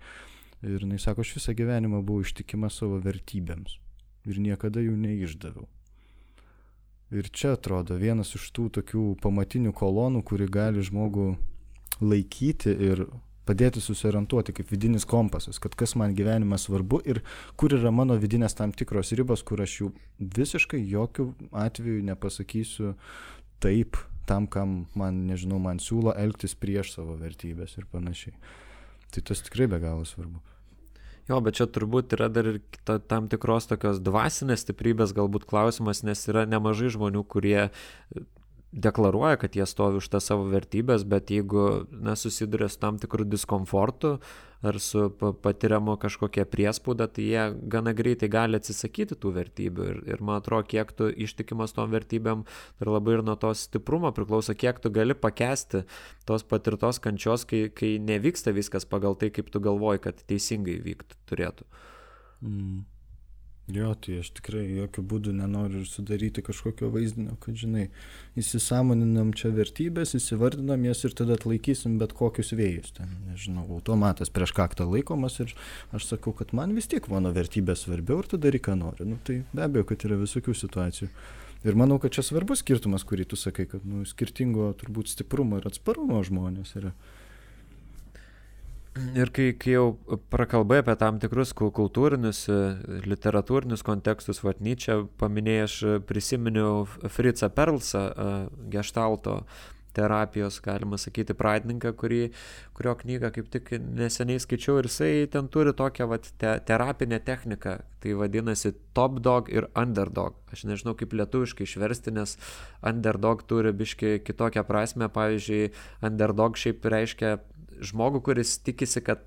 Ir jinai sako, aš visą gyvenimą buvau ištikima savo vertybėms ir niekada jų neišdaviau. Ir čia atrodo vienas iš tų tokių pamatinių kolonų, kuri gali žmogų laikyti ir padėti susiorientuoti kaip vidinis kompasas, kad kas man gyvenime svarbu ir kur yra mano vidinės tam tikros ribos, kur aš jų visiškai jokių atvejų nepasakysiu taip tam, kam man siūlo elgtis prieš savo vertybės ir panašiai. Tai tas tikrai be galo svarbu. Jo, bet čia turbūt yra dar ir tam tikros tokios dvasinės stiprybės galbūt klausimas, nes yra nemažai žmonių, kurie deklaruoja, kad jie stovi už tą savo vertybės, bet jeigu susiduria su tam tikrų diskomfortu ar su patiriamo kažkokia priespauda, tai jie gana greitai gali atsisakyti tų vertybių. Ir man atrodo, kiek tu ištikimas tom vertybėm, ir labai ir nuo tos stiprumo priklauso, kiek tu gali pakęsti tos patirtos kančios, kai nevyksta viskas pagal tai, kaip tu galvoji, kad teisingai vyktų turėtų. Jo, tai aš tikrai jokių būdų nenoriu sudaryti kažkokio vaizdinio, kad, įsisąmoninam čia vertybės, įsivardinam jas ir tada atlaikysim bet kokius vėjus. Ten, automatas prieš kaktą laikomas ir aš sakau, kad man vis tiek mano vertybės svarbiau ir tada daryk, ką noriu. Tai be abejo, kad yra visokių situacijų. Ir manau, kad čia svarbus skirtumas, kurį tu sakai, kad skirtingo turbūt stiprumo ir atsparumo žmonės yra. Ir kai jau prakalbai apie tam tikrus kultūrinius, literatūrinius kontekstus, Nyčę paminėjai, aš prisiminiau Fritzą Perlsą, geštalto terapijos, galima sakyti, pradininką, kurio knygą kaip tik neseniai skaičiau, ir jisai ten turi tokią terapinę techniką, tai vadinasi top dog ir underdog. Aš nežinau, kaip lietuviškai išversti, nes underdog turi biški kitokią prasme. Pavyzdžiui, underdog šiaip reiškia žmogų, kuris tikisi, kad,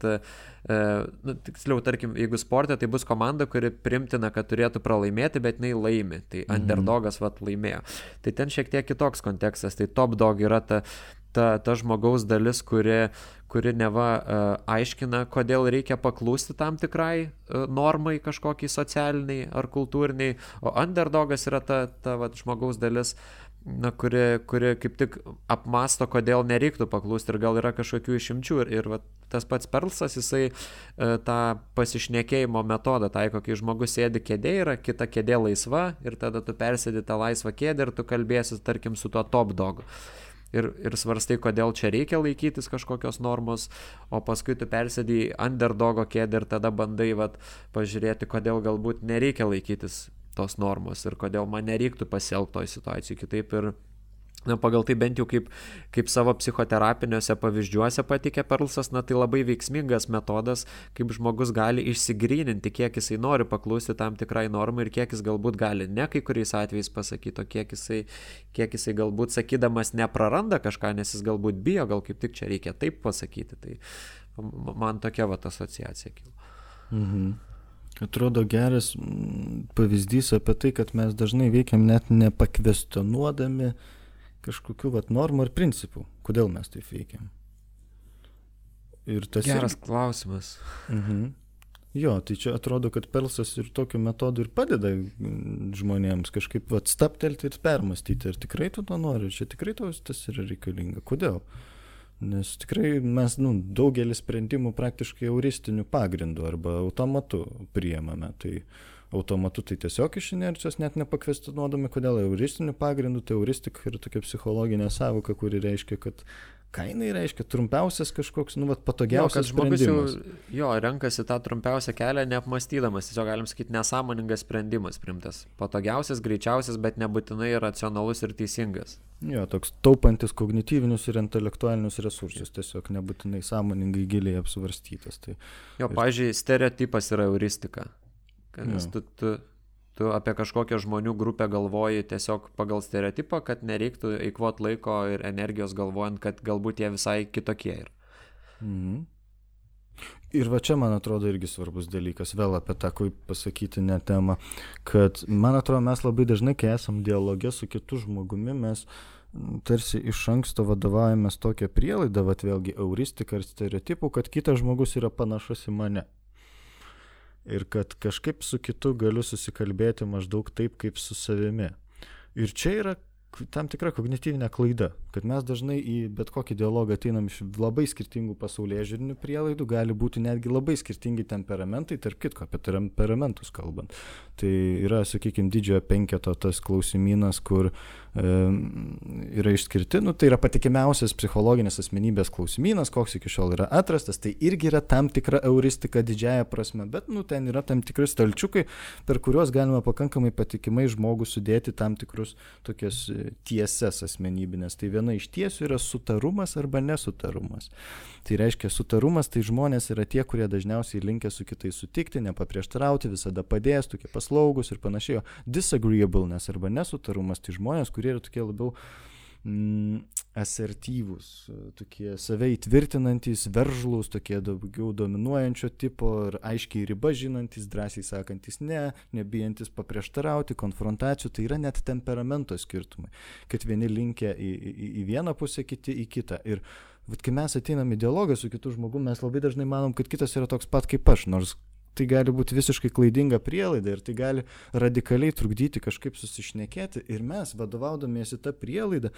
tiksliau, tarkim, jeigu sporte, tai bus komanda, kuri primtina, kad turėtų pralaimėti, bet jinai laimi. Tai underdogas laimėjo. Tai ten šiek tiek kitoks kontekstas. Tai top dog yra ta žmogaus dalis, kuri neva aiškina, kodėl reikia paklūsti tam tikrai normai kažkokiai socialiniai ar kultūriniai, o underdogas yra ta žmogaus dalis, kuri kaip tik apmąsto, kodėl nereiktų paklūsti ir gal yra kažkokių išimčių. Ir tas pats Perlsas, jisai tą pasišnekėjimo metodą taiko, kai žmogus sėdi kėdėje, yra kita kėdė laisva ir tada tu persėdi tą laisvą kėdę ir tu kalbėsi, tarkim, su tuo top dogu. Ir svarstai, kodėl čia reikia laikytis kažkokios normos, o paskui tu persėdi į underdogo kėdę ir tada bandai pažiūrėti, kodėl galbūt nereikia laikytis tos normos ir kodėl man nereiktų pasielgti toj situacijai kitaip. Ir pagal tai bent jau kaip savo psichoterapiniuose pavyzdžiuose patikė Perlsas, tai labai veiksmingas metodas, kaip žmogus gali išsigryninti, kiek jisai nori paklusti tam tikrai normai ir kiek jis galbūt gali ne kai kuriais atvejais pasakyti, o kiek jisai galbūt sakydamas nepraranda kažką, nes jis galbūt bijo, gal kaip tik čia reikia taip pasakyti. Tai man tokia asociacija kilo. Atrodo geras pavyzdys apie tai, kad mes dažnai veikiam net nepakvestionuodami kažkokių normų ir principų. Kodėl mes taip veikiam? Geras klausimas. Jo, tai čia atrodo, kad Perlsas ir tokiu metodu ir padeda žmonėms kažkaip staptelti ir permastyti. Ar tikrai tu to nori? Čia tikrai tas yra reikalinga? Kodėl? Nes tikrai mes daugelį sprendimų praktiškai euristiniu pagrindu arba automatu priėmame. Tai automatu tai tiesiog iš inercijos net nepakvestionuodami, kodėl euristiniu pagrindu. Tai euristika yra tokia psichologinė sąvoka, kuri reiškia, kad ką jinai reiškia, trumpiausias kažkoks, patogiausias sprendimas. Žmogus renkasi tą trumpiausią kelią neapmastydamas, tiesiog galim sakyti nesąmoningas sprendimas primtas. Patogiausias, greičiausias, bet nebūtinai racionalus ir teisingas. Toks taupantis kognityvinius ir intelektualinius resursus, tiesiog nebūtinai sąmoningai giliai apsvarstytas. Tai... pavyzdžiui, stereotipas yra euristika. Nes tu apie kažkokią žmonių grupę galvoji tiesiog pagal stereotipą, kad nereiktų eikvot laiko ir energijos galvojant, kad galbūt jie visai kitokie yra. Ir va čia, man atrodo, irgi svarbus dalykas, vėl apie tą, kaip pasakyti, ne temą, kad, man atrodo, mes labai dažnai, kai esam dialoge su kitu žmogumi, mes tarsi iš anksto vadovaujamės tokią prielaidą, vėlgi euristika ir stereotipų, kad kitas žmogus yra panašus į mane. Ir kad kažkaip su kitu galiu susikalbėti maždaug taip, kaip su savimi. Ir čia yra tam tikra kognityvinė klaida, kad mes dažnai į bet kokį dialogą ateinam iš labai skirtingų pasaulėžiūrinių prielaidų, gali būti netgi labai skirtingi temperamentai, tarp kitko apie temperamentus kalbant. Tai yra, sakykime, didžiojo penketo tas klausimynas, kur yra išskirti, tai yra patikimiausias psichologinės asmenybės klausimynas, koks iki šiol yra atrastas, tai irgi yra tam tikra euristika didžiaja prasme, bet ten yra tam tikri stalčiukai, per kuriuos galima pakankamai patikimai žmogų sudėti tam tikrus tokias tiesas asmenybinės. Tai viena iš tiesių yra sutarumas arba nesutarumas. Tai reiškia, sutarumas tai žmonės yra tie, kurie dažniausiai linkę su kitais sutikti, nepaprieštarauti, visada padės, tokie paslaugus ir panašiai. Disagreeableness arba nesutarumas tai žmonės, kurie yra tokie labiau asertyvūs, tokie save įtvirtinantys, veržlūs, tokie daugiau dominuojančio tipo ir aiškiai ribą žinantys, drąsiai sakantis ne, nebijantis paprieštarauti, konfrontacijų, tai yra net temperamento skirtumai, kad vieni linkę į vieną pusę, kiti į kitą. Ir kai mes ateinam į dialogą su kitu žmogumi, mes labai dažnai manom, kad kitas yra toks pat kaip aš, nors tai gali būti visiškai klaidinga prielaida ir tai gali radikaliai trukdyti kažkaip susišnekėti. Ir mes, vadovaudamiesi tą prielaidą,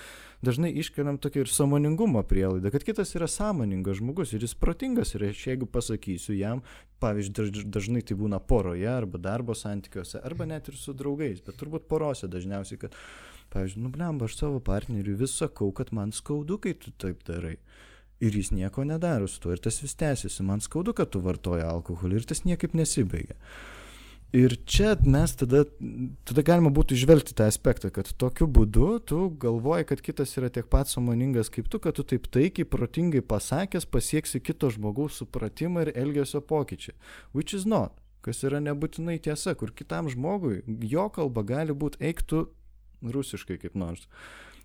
dažnai iškeliam tokią ir sąmoningumo prielaidą, kad kitas yra sąmoningas žmogus ir jis protingas. Ir aš jeigu pasakysiu jam, pavyzdžiui, dažnai tai būna poroje arba darbo santykiuose, arba net ir su draugais, bet turbūt porose dažniausiai, kad, pavyzdžiui, blemba, aš savo partneriui vis sakau, kad man skaudu, kai tu taip darai. Ir jis nieko nedaro su tuo, ir tas vis tęsiasi. Man skaudu, kad tu vartoji alkoholį, ir tas niekaip nesibaigia. Ir čia mes tada galima būtų išvelgti tą aspektą, kad tokiu būdu tu galvoji, kad kitas yra tiek pat sąmoningas kaip tu, kad tu taip taikiai, protingai pasakęs pasieksi kito žmogaus supratimą ir elgesio pokyčiai. Which is not. Kas yra nebūtinai tiesa, kur kitam žmogui jo kalba gali būti eiktų rusiškai kaip nors.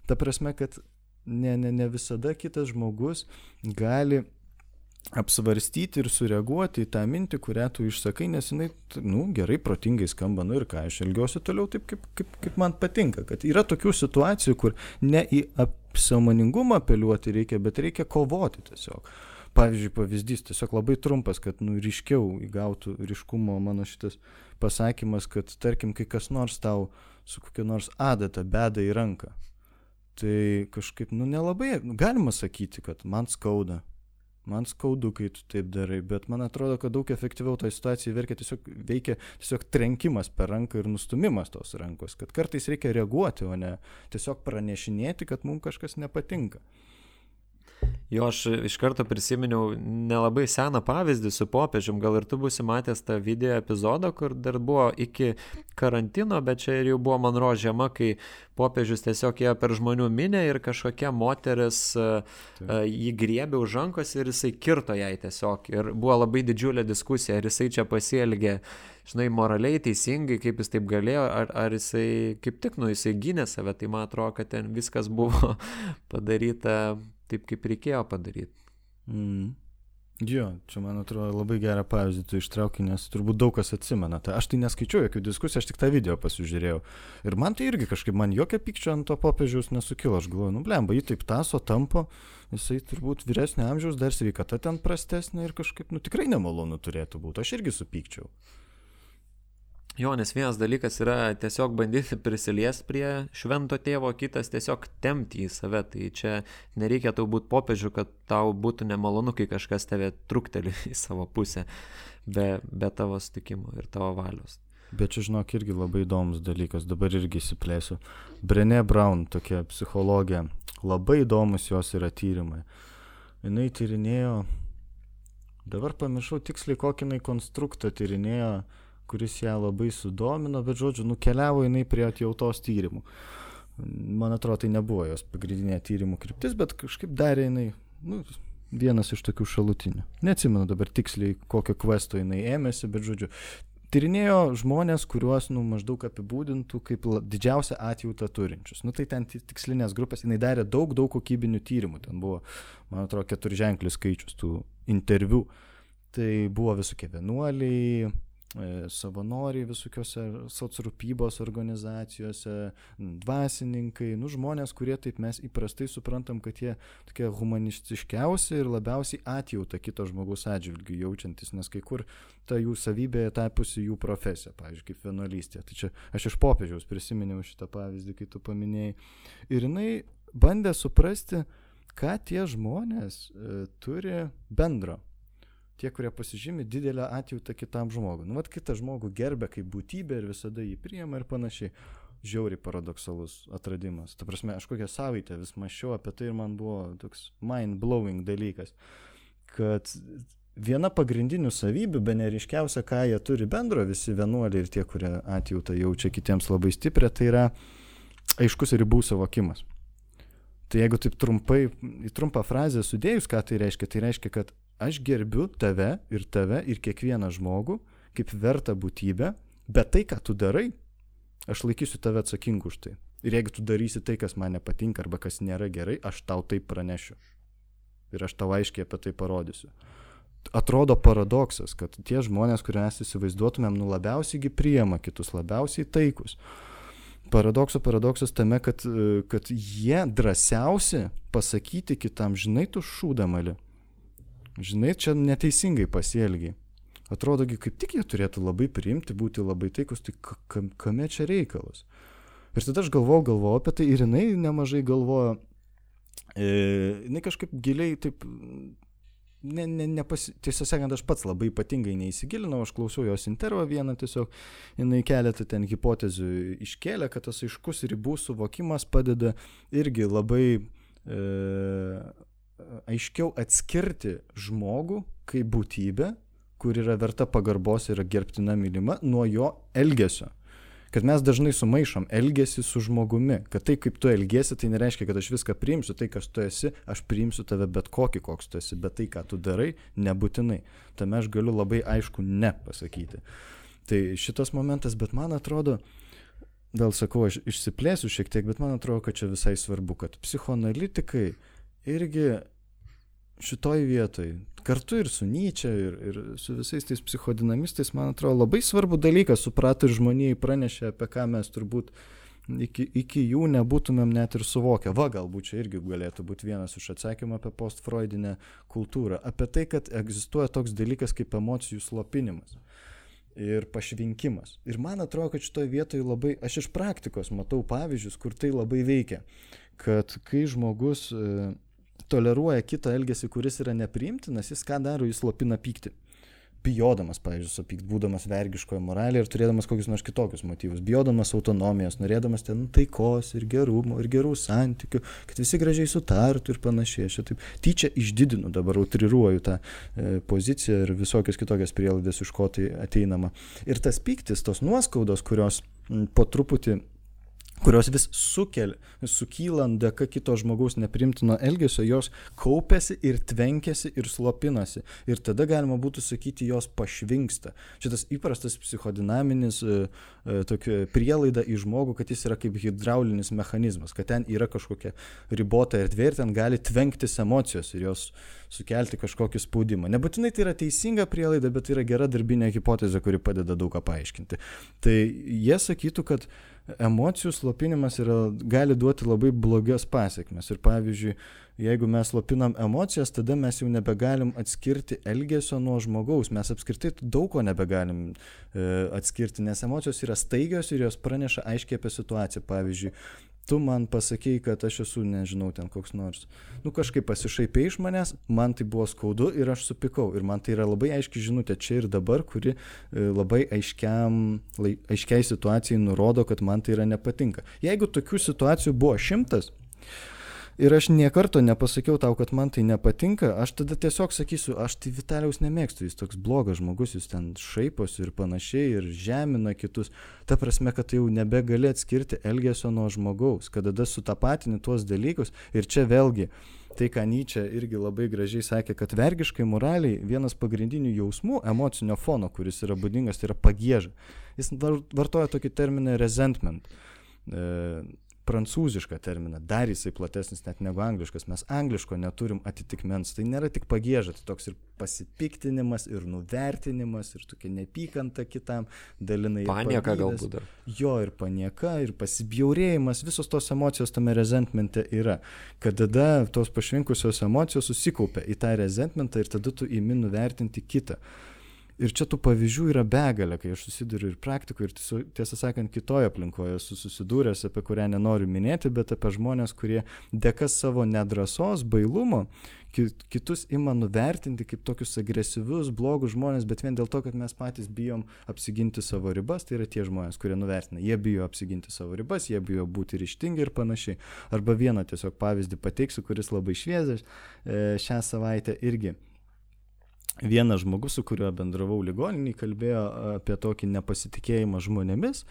Ta prasme, kad ne visada kitas žmogus gali apsvarstyti ir sureaguoti į tą mintį, kurią tu išsakai, nes jinai, gerai, protingai skamba, ir ką, aš elgiuosi toliau taip, kaip man patinka. Kad yra tokių situacijų, kur ne į sąmoningumą apeliuoti reikia, bet reikia kovoti tiesiog. Pavyzdžiui, pavyzdys, tiesiog labai trumpas, kad ryškiau įgautų ryškumo mano šitas pasakymas, kad tarkim, kai kas nors tau su kokia nors adata beda į ranką. Tai kažkaip, nelabai, galima sakyti, kad man skaudu, kai tu taip darai, bet man atrodo, kad daug efektyviau tą situaciją veikia tiesiog trenkimas per ranką ir nustumimas tos rankos, kad kartais reikia reaguoti, o ne tiesiog pranešinėti, kad mums kažkas nepatinka. Jo, aš iš karto prisiminiau nelabai seną pavyzdį su popiežium, gal ir tu būsi matęs tą video epizodą, kur dar buvo iki karantino, bet čia ir jau buvo Monro žiema, kai popiežius tiesiog ėjo per žmonių minę ir kažkokia moteris jį griebė už rankos ir jisai kirto jai tiesiog. Ir buvo labai didžiulė diskusija, ar jisai čia pasielgė, moraliai, teisingai, kaip jis taip galėjo, ar jisai kaip tik, jisai gynė save, tai man atrodo, kad ten viskas buvo padaryta taip, kaip reikėjo padaryti. Jo, čia man atrodo labai gerą pavyzdį tu ištrauki, nes turbūt daug kas atsimena. Aš tai neskaičiau jokių diskusijų, aš tik tą video pasižiūrėjau. Ir man tai irgi kažkaip, man jokio pykčio ant to popiežiaus nesukilo. Aš galvoju, blemba, jį taip taso, tampo, jisai turbūt vyresnio amžiaus, dar sveikata ten prastesnė ir kažkaip, tikrai nemalonu turėtų būti. Aš irgi supykčiau. Jo, nes vienas dalykas yra tiesiog bandyti prisiliesti prie švento tėvo, kitas tiesiog tempti į save. Tai čia nereikia tau būti popiežiu, kad tau būtų nemalonu, kai kažkas tave trukteli į savo pusę be tavo sutikimo ir tavo valios. Bet čia, žinok, irgi labai įdomus dalykas, dabar irgi įsiplėsiu. Brené Brown, tokia psichologė, Labai įdomus jos yra tyrimai. Jinai tyrinėjo, dabar pamiršau tiksliai kokį jinai konstruktą tyrinėjo, kuris ją labai sudomino, bet žodžiu, nukeliavo jinai prie atjautos tyrimų. Man atrodo, tai nebuvo jos pagrindinė tyrimų kryptis, bet kažkaip darė jinai, vienas iš tokių šalutinių. Neatsimenu dabar tiksliai, kokio kvesto jinai ėmėsi, bet žodžiu, tyrinėjo žmonės, kuriuos maždaug apibūdintų kaip didžiausią atjautą turinčius. Tai ten tikslinės grupės, jinai darė daug kokybinių tyrimų, ten buvo, man atrodo, 4 ženklius skaičius tų interviu. Tai buvo visokie vienuoliai, savanoriai visokiose socrūpybos organizacijose, dvasininkai, žmonės, kurie taip mes įprastai suprantam, kad jie tokie humanistiškiausi ir labiausiai atjautą kito žmogaus atžvilgių jaučiantis, nes kai kur ta jų savybė tapusi jų profesija, pavyzdžiui, kaip vienuolystė. Tai čia aš iš popiežiaus prisiminiau šitą pavyzdį, kai tu paminėjai. Ir jinai bandė suprasti, ką tie žmonės turi bendro. Tie, kurie pasižymi didelę atjautą kitam žmogui. Kitą žmogų gerbia kaip būtybę ir visada jį priima ir panašiai. Žiauriai paradoksalus atradimas. Ta prasme, aš kokią savaitę vis mąsčiau apie tai ir man buvo toks mind-blowing dalykas, kad viena pagrindinių savybių, bene ryškiausia, ką jie turi bendro, visi vienuoliai ir tie, kurie atjautą jaučia kitiems labai stiprią, tai yra aiškus ribų suvokimas. Tai jeigu taip trumpai, į trumpą frazę sudėjus, ką tai reiškia, kad aš gerbiu tave ir kiekvieną žmogų kaip vertą būtybę, bet tai, ką tu darai, aš laikysiu tave atsakingu už tai. Ir jeigu tu darysi tai, kas man nepatinka arba kas nėra gerai, aš tau tai pranešiu. Ir aš tau aiškiai apie tai parodysiu. Atrodo paradoksas, kad tie žmonės, kurie mes įsivaizduotumėm, labiausiai priima kitus, labiausiai taikus. Paradoksas tame, kad jie drąsiausi pasakyti kitam, žinai, tu šūdamali. Žinai, čia neteisingai pasielgiai. Atrodogi, kaip tik jie turėtų labai priimti, būti labai taikus, tai kame čia reikalas? Ir tada aš galvojau apie tai ir jinai nemažai galvojo. Jinai kažkaip giliai taip, tiesą sakant, aš pats labai ypatingai neįsigilinau, aš klausiau jos intervą vieną tiesiog, jinai keletą ten hipotezių iškėlė, kad tas aiškus ribų suvokimas padeda irgi labai aiškiau atskirti žmogų kaip būtybę, kur yra verta pagarbos ir gerbtina mylima, nuo jo elgesio. Kad mes dažnai sumaišom elgesį su žmogumi, kad tai, kaip tu elgiesi, tai nereiškia, kad aš viską priimsiu, tai, kas tu esi, aš priimsiu tave bet kokį, koks tu esi, bet tai, ką tu darai, nebūtinai. Tame aš galiu labai aišku ne pasakyti. Tai šitas momentas, bet man atrodo, vėl sakau, aš išsiplėsiu šiek tiek, bet man atrodo, kad čia visai svarbu, kad psichoanalitikai irgi šitoj vietoj, kartu ir su Nyčia, ir su visais tais psichodinamistais, man atrodo, labai svarbu dalykas suprato ir žmonijai pranešė, apie ką mes turbūt iki jų nebūtumėm net ir suvokę. Galbūt čia irgi galėtų būti vienas iš atsakymų apie postfreudinę kultūrą. Apie tai, kad egzistuoja toks dalykas kaip emocijų slopinimas ir pašvinkimas. Ir man atrodo, kad šitoj vietoj labai, aš iš praktikos matau pavyzdžius, kur tai labai veikia. Kad kai žmogus toleruoja kitą elgesį, kuris yra nepriimtinas, jis ką daro, jis slopina pyktį. Bijodamas, pavyzdžiui, supykt, būdamas vergiškoje moralėje ir turėdamas kokius nors kitokius motyvus. Bijodamas autonomijos, norėdamas ten taikos ir gerumo ir gerų santykių, kad visi gražiai sutartų ir panašiai. Aš taip tyčia išdidinu, dabar utriruoju tą poziciją ir visokias kitokias prielaidas, iš ko tai ateinama. Ir tas pyktis, tos nuoskaudos, kurios po truputį kurios vis sukylant dėka kito žmogaus neprimtino elgesio, jos kaupiasi ir tvenkiasi ir slopinasi. Ir tada galima būtų sakyti, jos pašvinksta. Šitas įprastas psichodinaminis prielaida į žmogų, kad jis yra kaip hidraulinis mechanizmas, kad ten yra kažkokia ribota erdvė ir ten gali tvenktis emocijos ir jos sukelti kažkokį spaudimą. Nebūtinai tai yra teisinga prielaida, bet tai yra gera darbinė hipotezė, kuri padeda daug ką paaiškinti. Tai jie sakytų, kad emocijų slopinimas gali duoti labai blogas pasekmes. Ir pavyzdžiui, jeigu mes slopinam emocijas, tada mes jau nebegalim atskirti elgesio nuo žmogaus. Mes apskritai daug ko nebegalim atskirti, nes emocijos yra staigios ir jos praneša aiškiai apie situaciją. Pavyzdžiui, tu man pasakei, kad aš esu, nežinau, ten koks nors, kažkaip pasišaipė iš manęs, man tai buvo skaudu ir aš supykau. Ir man tai yra labai aiški žinutė čia ir dabar, kuri labai aiškiai situacijai nurodo, kad man tai yra nepatinka. Jeigu tokių situacijų buvo 100, ir aš niekarto nepasakiau tau, kad man tai nepatinka, aš tada tiesiog sakysiu, aš tai Vitalijaus nemėgstu, jis toks blogas žmogus, jis ten šaiposi ir panašiai ir žemina kitus. Ta prasme, kad tai jau nebegali atskirti elgesio nuo žmogaus, kad tada sutapatini tuos dalykus ir čia vėlgi tai, ką Nyčė irgi labai gražiai sakė, kad vergiškai moraliai vienas pagrindinių jausmų, emocinio fono, kuris yra būdingas, tai yra pagieža. Jis vartoja tokį terminą resentment, prancūzišką terminą, dar jisai platesnis net negu angliškas. Mes angliško neturim atitikmens, tai nėra tik pagieža, tai toks ir pasipiktinimas, ir nuvertinimas, ir tokia nepykanta kitam, dalinai. Panieka galbūt dar. Jo, ir panieka, ir pasibjaurėjimas, visos tos emocijos tame resentmente yra. Kad tada tos pašvinkusios emocijos susikaupia į tą resentmentą ir tada tu imi nuvertinti kitą. Ir čia tų pavyzdžių yra begalė, kai aš susiduriu ir praktikoje, ir tiesą sakant, kitoje aplinkoje esu susidūręs, apie kurią nenoriu minėti, bet apie žmonės, kurie dėka savo nedrąsos, bailumo, kitus ima nuvertinti kaip tokius agresyvius, blogus žmonės, bet vien dėl to, kad mes patys bijom apsiginti savo ribas, tai yra tie žmonės, kurie nuvertina. Jie bijo apsiginti savo ribas, jie bijo būti ryžtingi ir panašiai. Arba vieną tiesiog pavyzdį pateiksiu, kuris labai šviežias šią savaitę irgi. Vienas žmogus, su kuriuo bendravau ligoninėje, kalbėjo apie tokį nepasitikėjimą žmonėmis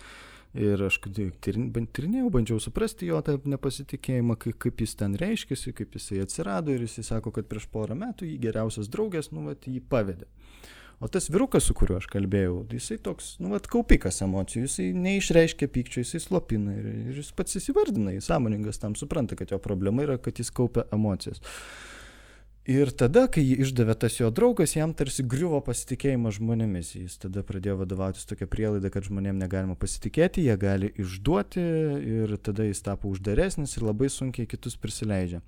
ir aš tyrinėjau, bandžiau suprasti jo tą nepasitikėjimą, kaip jis ten reiškėsi, kaip jisai atsirado ir jisai sako, kad prieš porą metų jį geriausias draugės, jį pavedė. O tas vyrukas, su kuriuo aš kalbėjau, jisai toks, kaupikas emocijų, jisai neišreiškia pykčio, jisai slopina ir jis pats įsivardina, jis sąmoningas tam supranta, kad jo problema yra, kad jis kaupia emocijas. Ir tada, kai jį išdavė tas jo draugas, jam tarsi griuvo pasitikėjimas žmonėmis. Jis tada pradėjo vadovautis tokia prielaida, kad žmonėm negalima pasitikėti, jie gali išduoti ir tada jis tapo uždaresnis ir labai sunkiai kitus prisileidžia.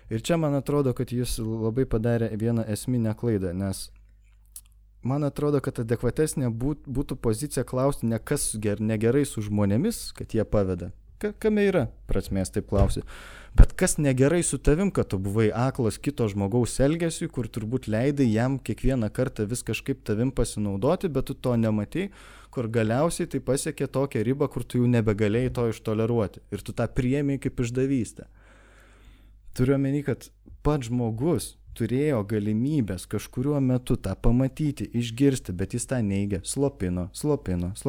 Ir čia man atrodo, kad jis labai padarė vieną esminę klaidą, nes man atrodo, kad adekvatesnė būtų pozicija klausti ne kas negerai su žmonėmis, kad jie paveda. Kame yra prasmės taip klausi. Bet kas negerai su tavim, kad tu buvai aklas kito žmogaus elgesiui, kur turbūt leidai jam kiekvieną kartą vis kažkaip tavim pasinaudoti, bet tu to nematai, kur galiausiai tai pasiekė tokią ribą, kur tu jau nebegalėjai to ištoleruoti. Ir tu tą priėmei kaip išdavystę. Turiu omeny, kad pats žmogus turėjo galimybės kažkuriuo metu tą pamatyti, išgirsti, bet jis tą neigė, slopino.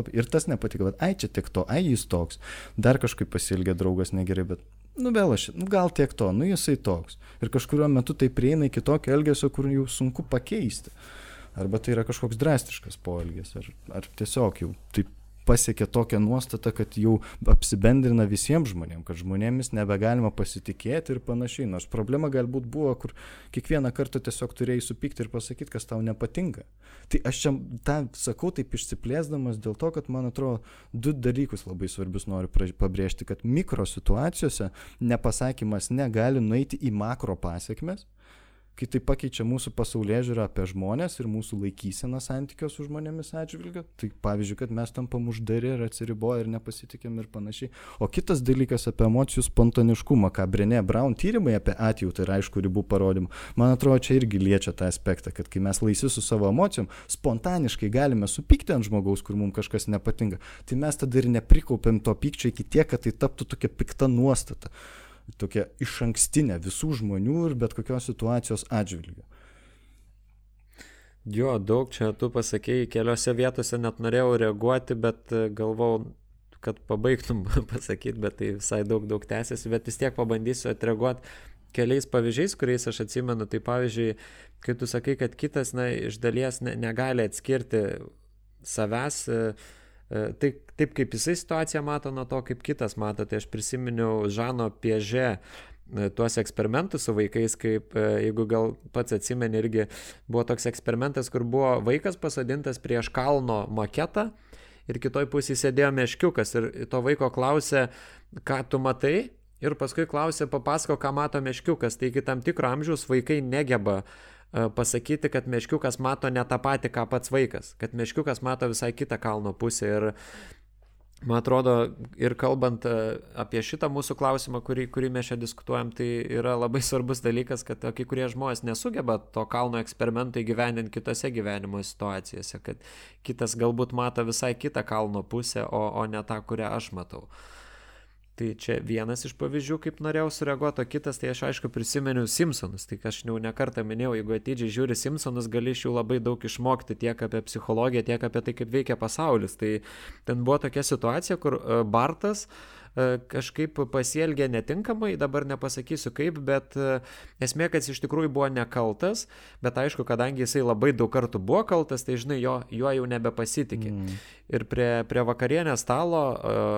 Ir tas nepatiko, bet čia tik to, jis toks. Dar kažkaip pasielgė draugas negerai, bet gal tiek to, jisai toks. Ir kažkuriuo metu tai prieina iki tokio elgesio, kur jau sunku pakeisti. Arba tai yra kažkoks drastiškas poelgis, ar tiesiog jau taip pasiekė tokią nuostatą, kad jau apsibendrina visiems žmonėms, kad žmonėmis nebegalima pasitikėti ir panašiai. Nors problema galbūt buvo, kur kiekvieną kartą tiesiog turėjai supykti ir pasakyti, kas tau nepatinka. Tai aš čia tą sakau taip išsiplėsdamas dėl to, kad man atrodo, du dalykus labai svarbius noriu pabrėžti, kad mikro situacijose nepasakymas negali nueiti į makro pasiekmes, kai tai pakeičia mūsų pasaulėžiūrą apie žmonės ir mūsų laikyseną santykio su žmonėmis atžvilgiu. Tai pavyzdžiui, kad mes tampam uždari ir atsiriboję ir nepasitikėm ir panašiai. O kitas dalykas apie emocijų spontaniškumą, ką Brené Brown tyrimai apie atjautą ir aišku ribų parodymą, man atrodo, čia irgi liečia tą aspektą, kad kai mes laisvi su savo emocijom, spontaniškai galime supykti ant žmogaus, kur mums kažkas nepatinka, tai mes tada ir neprikaupėm to pykčio iki tiek, kad tai taptų tokia pikta nuostata. Tokia išankstinė visų žmonių ir bet kokios situacijos atžvilgiu. Jo, daug čia tu pasakėjai, keliose vietose net norėjau reaguoti, bet galvau, kad pabaigtum pasakyti, bet tai visai daug tęsiasi, bet vis tiek pabandysiu atreaguoti keliais pavyzdžiais, kuriais aš atsimenu. Tai pavyzdžiui, kai tu sakai, kad kitas iš dalies negali atskirti savęs, tai taip kaip jisai situaciją mato nuo to, kaip kitas mato. Tai aš prisiminiau Žano Piažė tuos eksperimentus su vaikais, kaip jeigu gal pats atsimeni, irgi buvo toks eksperimentas, kur buvo vaikas pasodintas prieš kalno maketą ir kitoj pusėje sėdėjo meškiukas ir to vaiko klausė, ką tu matai, ir paskui klausė, papasako, ką mato meškiukas. Tai iki tam tikro amžiaus vaikai negeba pasakyti, kad meškiukas mato ne tą patį, ką pats vaikas, kad meškiukas mato visai kitą kalno pusę. Ir man atrodo, ir kalbant apie šitą mūsų klausimą, kurį mes čia diskutuojam, tai yra labai svarbus dalykas, kad kai kurie žmonės nesugeba to kalno eksperimento įgyvendinti kitose gyvenimo situacijose, kad kitas galbūt mato visai kitą kalno pusę, o ne tą, kurią aš matau. Tai čia vienas iš pavyzdžių, kaip norėjau sureaguoti, o kitas, tai aš aišku prisimenu Simpsonus, tai aš jau nekartą minėjau, jeigu atidžiai žiūri Simpsonus, gali iš jų labai daug išmokti tiek apie psichologiją, tiek apie tai, kaip veikia pasaulis. Tai ten buvo tokia situacija, kur Bartas kažkaip pasielgė netinkamai, dabar nepasakysiu kaip, bet esmė, kad jis iš tikrųjų buvo nekaltas, bet aišku, kadangi jisai labai daug kartų buvo kaltas, tai žinai, juo jau nebepasitikė. Ir prie vakarienės stalo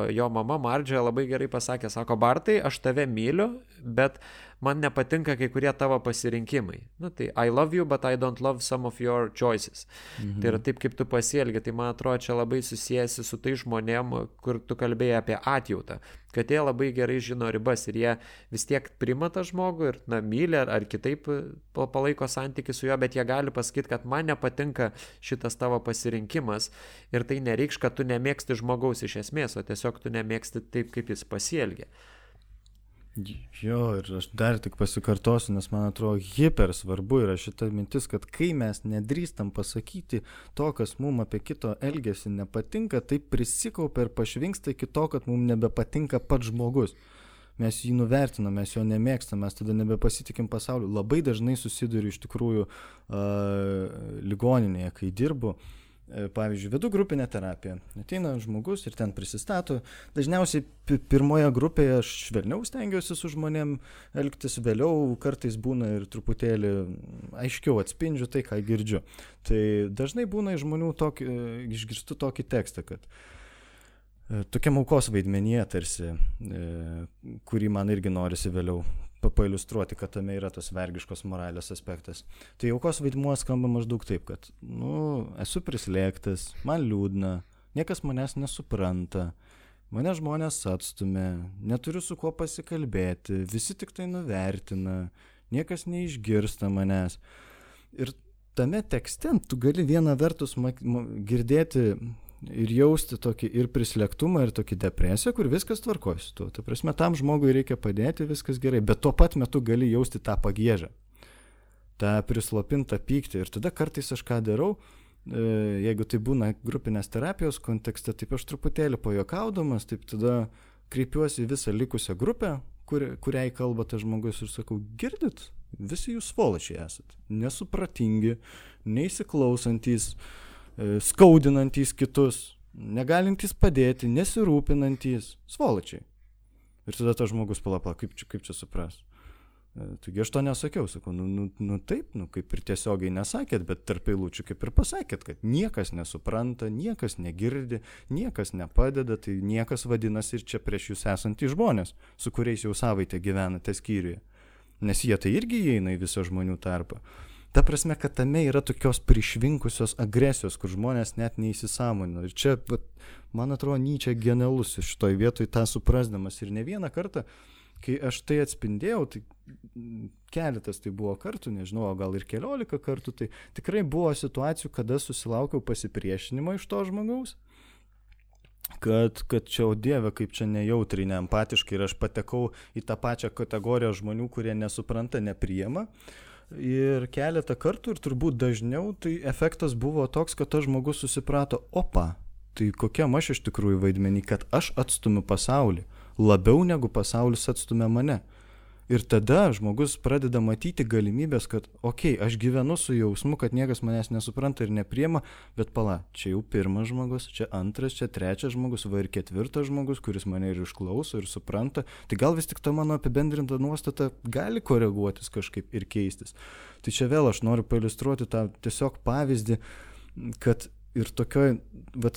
jo mama Mardžia labai gerai pasakė, sako, Bartai, aš tave myliu, bet man nepatinka kai kurie tavo pasirinkimai. Nu, tai I love you, but I don't love some of your choices. Tai yra taip, kaip tu pasielgi. Tai man atrodo, čia labai susijęsi su tai žmonėm, kur tu kalbėjai apie atjautą. Kad jie labai gerai žino ribas ir jie vis tiek priima tą žmogų ir myli ar kitaip palaiko santykį su juo, bet jie gali pasakyti, kad man nepatinka šitas tavo pasirinkimas ir tai nereikš, kad tu nemėgsti žmogaus iš esmės, o tiesiog tu nemėgsti taip, kaip jis pasielgia. Jo, ir aš dar tik pasikartosiu, nes man atrodo hiper svarbu yra šita mintis, kad kai mes nedrįstam pasakyti to, kas mums apie kito elgesį nepatinka, tai prisikaupia ir pašvinksta iki to, kad mums nebepatinka pats žmogus. Mes jį nuvertinam, mes jo nemėgstam, mes tada nebepasitikim pasauliu. Labai dažnai susiduriu iš tikrųjų ligoninėje, kai dirbu. Pavyzdžiui, vedu grupinę terapiją. Ateina žmogus ir ten prisistato. Dažniausiai pirmoje grupėje aš švelniau stengiuosi su žmonėm elgtis, vėliau kartais būna ir truputėlį aiškiau atspindžiu tai, ką girdžiu. Tai dažnai būna iš žmonių išgirstu tokį tekstą, kad tokiam aukos vaidmenyje tarsi, kurį man irgi norisi vėliau pailiustruoti, kad tame yra tas vergiškos moralės aspektas. Tai aukos vaidmuo skamba maždaug taip, kad, esu prislėgtas, man liūdna, niekas manęs nesupranta, mane žmonės atstumia, neturiu su kuo pasikalbėti, visi tik tai nuvertina, niekas neišgirsta manęs. Ir tame tekste tu gali vieną vertus girdėti ir jausti tokį ir prislėgtumą, ir tokį depresiją, kur viskas tvarkosi su tuo. Ta prasme, tam žmogui reikia padėti, viskas gerai, bet tuo pat metu gali jausti tą pagiežą, tą prislopintą pyktį. Ir tada kartais aš ką darau, jeigu tai būna grupinės terapijos kontekste, taip aš truputėlį pajokaudamas, taip tada kreipiuosi į visą likusią grupę, kuriai kalba tas žmogus ir sakau, girdit, visi jūs svoločiai esat, nesupratingi, neįsiklausantys, skaudinantys kitus, negalintys padėti, nesirūpinantys, svoločiai. Ir tada tas žmogus palapa, kaip čia supras. Taigi aš to nesakiau, sakau, taip, kaip ir tiesiogiai nesakėt, bet tarp eilučių kaip ir pasakėt, kad niekas nesupranta, niekas negirdi, niekas nepadeda, tai niekas vadinasi ir čia prieš jūs esantys žmonės, su kuriais jau savaitę gyvenate skyriuje. Nes jie tai irgi įeina į visą žmonių tarpą. Ta prasme, kad tame yra tokios prišvinkusios agresijos, kur žmonės net neįsisąmonino. Ir čia, man atrodo, Nyčė genialus šitoj vietoj tą suprasdamas. Ir ne vieną kartą, kai aš tai atspindėjau, tai keletas tai buvo kartų, nežinau, gal ir 14 kartų, tai tikrai buvo situacijų, kada susilaukiau pasipriešinimo iš to žmogaus. Kad čia, o Dieve, kaip čia nejautriai, neempatiškai, ir aš patekau į tą pačią kategoriją žmonių, kurie nesupranta, nepriima. Ir keletą kartų, ir turbūt dažniau, tai efektas buvo toks, kad tas žmogus susiprato, tai kokiam aš iš tikrųjų vaidmenį, kad aš atstumiu pasaulį, labiau negu pasaulis atstumia mane. Ir tada žmogus pradeda matyti galimybės, kad, aš gyvenu su jausmu, kad niekas manęs nesupranta ir nepriema, bet čia jau pirmas žmogus, čia antras, čia trečias žmogus, ir ketvirtas žmogus, kuris mane ir išklauso ir supranta. Tai gal vis tik ta mano apibendrinta nuostata gali koreguotis kažkaip ir keistis. Tai čia vėl aš noriu pailiustruoti tą tiesiog pavyzdį, kad ir tokioj,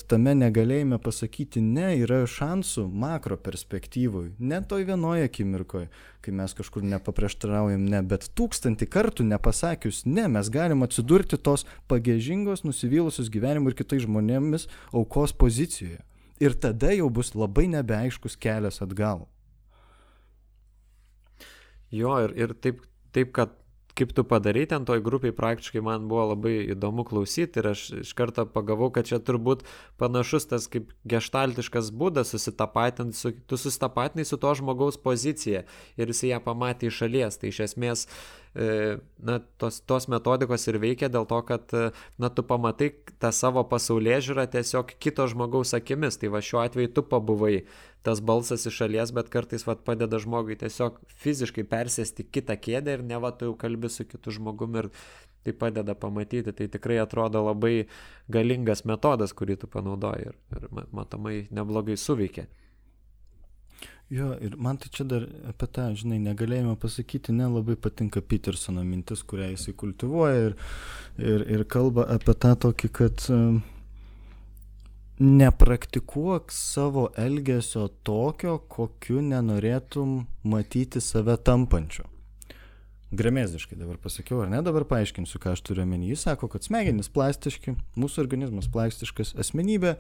tame negalėjime pasakyti ne, yra šansų makro perspektyvoj, ne toj vienoje akimirkoje, kai mes kažkur nepaprieštaraujam ne, bet 1000 kartų nepasakius ne, mes galim atsidurti tos pagiežingos, nusivylusios gyvenimu ir kitais žmonėmis aukos pozicijoje. Ir tada jau bus labai nebeaiškus kelias atgal. Jo, ir taip, kad kaip tu padarai ten toj grupiai, praktiškai man buvo labai įdomu klausyti ir aš iš karto pagavau, kad čia turbūt panašus tas kaip geštaltiškas būdas susitapatinti, tu susitapatinai su to žmogaus pozicija ir jis ją pamatė iš šalies. Tai iš esmės tos metodikos ir veikia dėl to, kad tu pamatai tą savo pasaulėžiūrą tiesiog kito žmogaus akimis. Tai va šiuo atveju tu pabuvai tas balsas iš šalies, bet kartais padeda žmogui tiesiog fiziškai persėsti kitą kėdę ir ne tu jau kalbi su kitu žmogumi ir tai padeda pamatyti. Tai tikrai atrodo labai galingas metodas, kurį tu panaudoji ir matomai neblogai suveikia. Jo, ir man tai čia dar apie tą, žinai, negalėjome pasakyti, nelabai patinka Petersono mintis, kurią jisai kultivuoja ir kalba apie tą tokį, kad nepraktikuok savo elgesio tokio, kokiu nenorėtum matyti save tampančiu. Gremėziškai dabar pasakiau, ar ne, dabar paaiškinsiu, ką aš turiu omeny. Jis sako, kad smegenys plastiški, mūsų organizmas plastiškas, asmenybė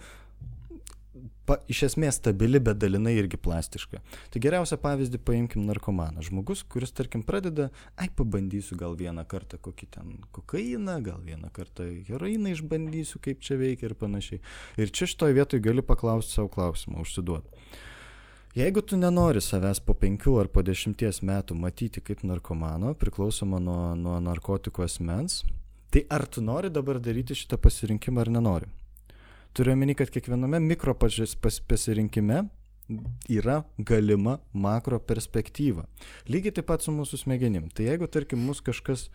iš esmės stabili, bet dalinai irgi plastiška. Tai geriausią pavyzdį paimkim narkomaną. Žmogus, kuris, tarkim, pradeda, pabandysiu gal vieną kartą kokį ten kokainą, gal vieną kartą heroiną išbandysiu, kaip čia veikia ir panašiai. Ir čia šitoj vietoj gali paklausti savo klausimą, užsiduoti. Jeigu tu nenori savęs po 5 ar po 10 metų matyti kaip narkomano, priklausoma nuo narkotikų asmens, tai ar tu nori dabar daryti šitą pasirinkimą ar nenori? Turiu omeny, kad kiekviename mikro pasirinkime yra galima makro perspektyva. Lygiai taip pat su mūsų smegenim. Tai jeigu, tarkim, mus kažkas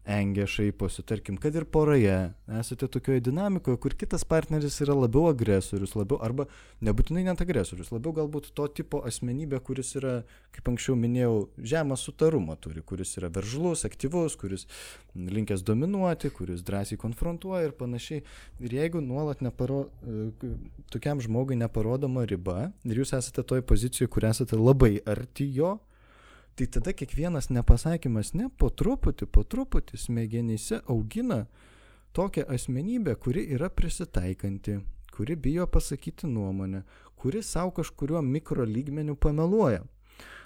engia, šaiposi, tarkim, kad ir poroje esate tokioje dinamikoje, kur kitas partneris yra labiau agresorius, arba nebūtinai net agresorius, labiau galbūt to tipo asmenybė, kuris yra, kaip anksčiau minėjau, žemą sutarumą turi, kuris yra veržlus, aktyvus, kuris linkęs dominuoti, kuris drąsiai konfrontuoja ir panašiai. Ir jeigu nuolat tokiam žmogui neparodoma riba ir jūs esate toj pozicijoje, kur esate labai arti jo, tai tada kiekvienas nepasakymas po truputį smegenyse augina tokią asmenybę, kuri yra prisitaikanti, kuri bijo pasakyti nuomonę, kuri savo kažkuriuo mikro lygmeniu pameluoja.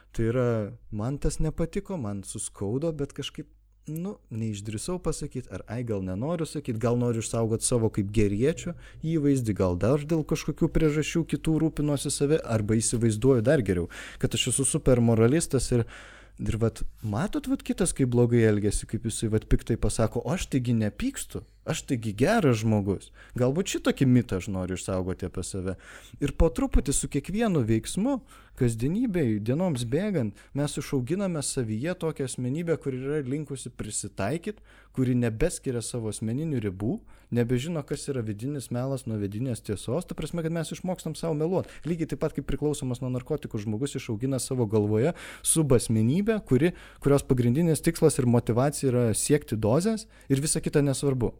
Tai yra, man tas nepatiko, man suskaudo, bet kažkaip, neišdrįsau pasakyti, gal nenoriu sakyti, gal noriu išsaugoti savo kaip geriečio įvaizdį, gal dar dėl kažkokių priežasčių kitų rūpinuosi save, arba įsivaizduoju dar geriau, kad aš esu super moralistas ir matot, kitas kaip blogai elgiasi, kaip jisai piktai pasako, o aš taigi nepykstu, aš taigi geras žmogus. Galbūt šitokį mitą aš noriu išsaugoti apie save. Ir po truputį su kiekvienu veiksmu, kasdienybėj, dienoms bėgant, mes išauginame savyje tokią asmenybę, kuri yra linkusi prisitaikyti, kuri nebeskiria savo asmeninių ribų, nebežino, kas yra vidinis melas nuo vidinės tiesos, ta prasme, kad mes išmokstam savo meluoti. Lygiai taip pat kaip priklausomas nuo narkotikų žmogus išaugina savo galvoje subasmenybę, kurios pagrindinis tikslas ir motyvacija yra siekti dozės ir visa kita nesvarbu.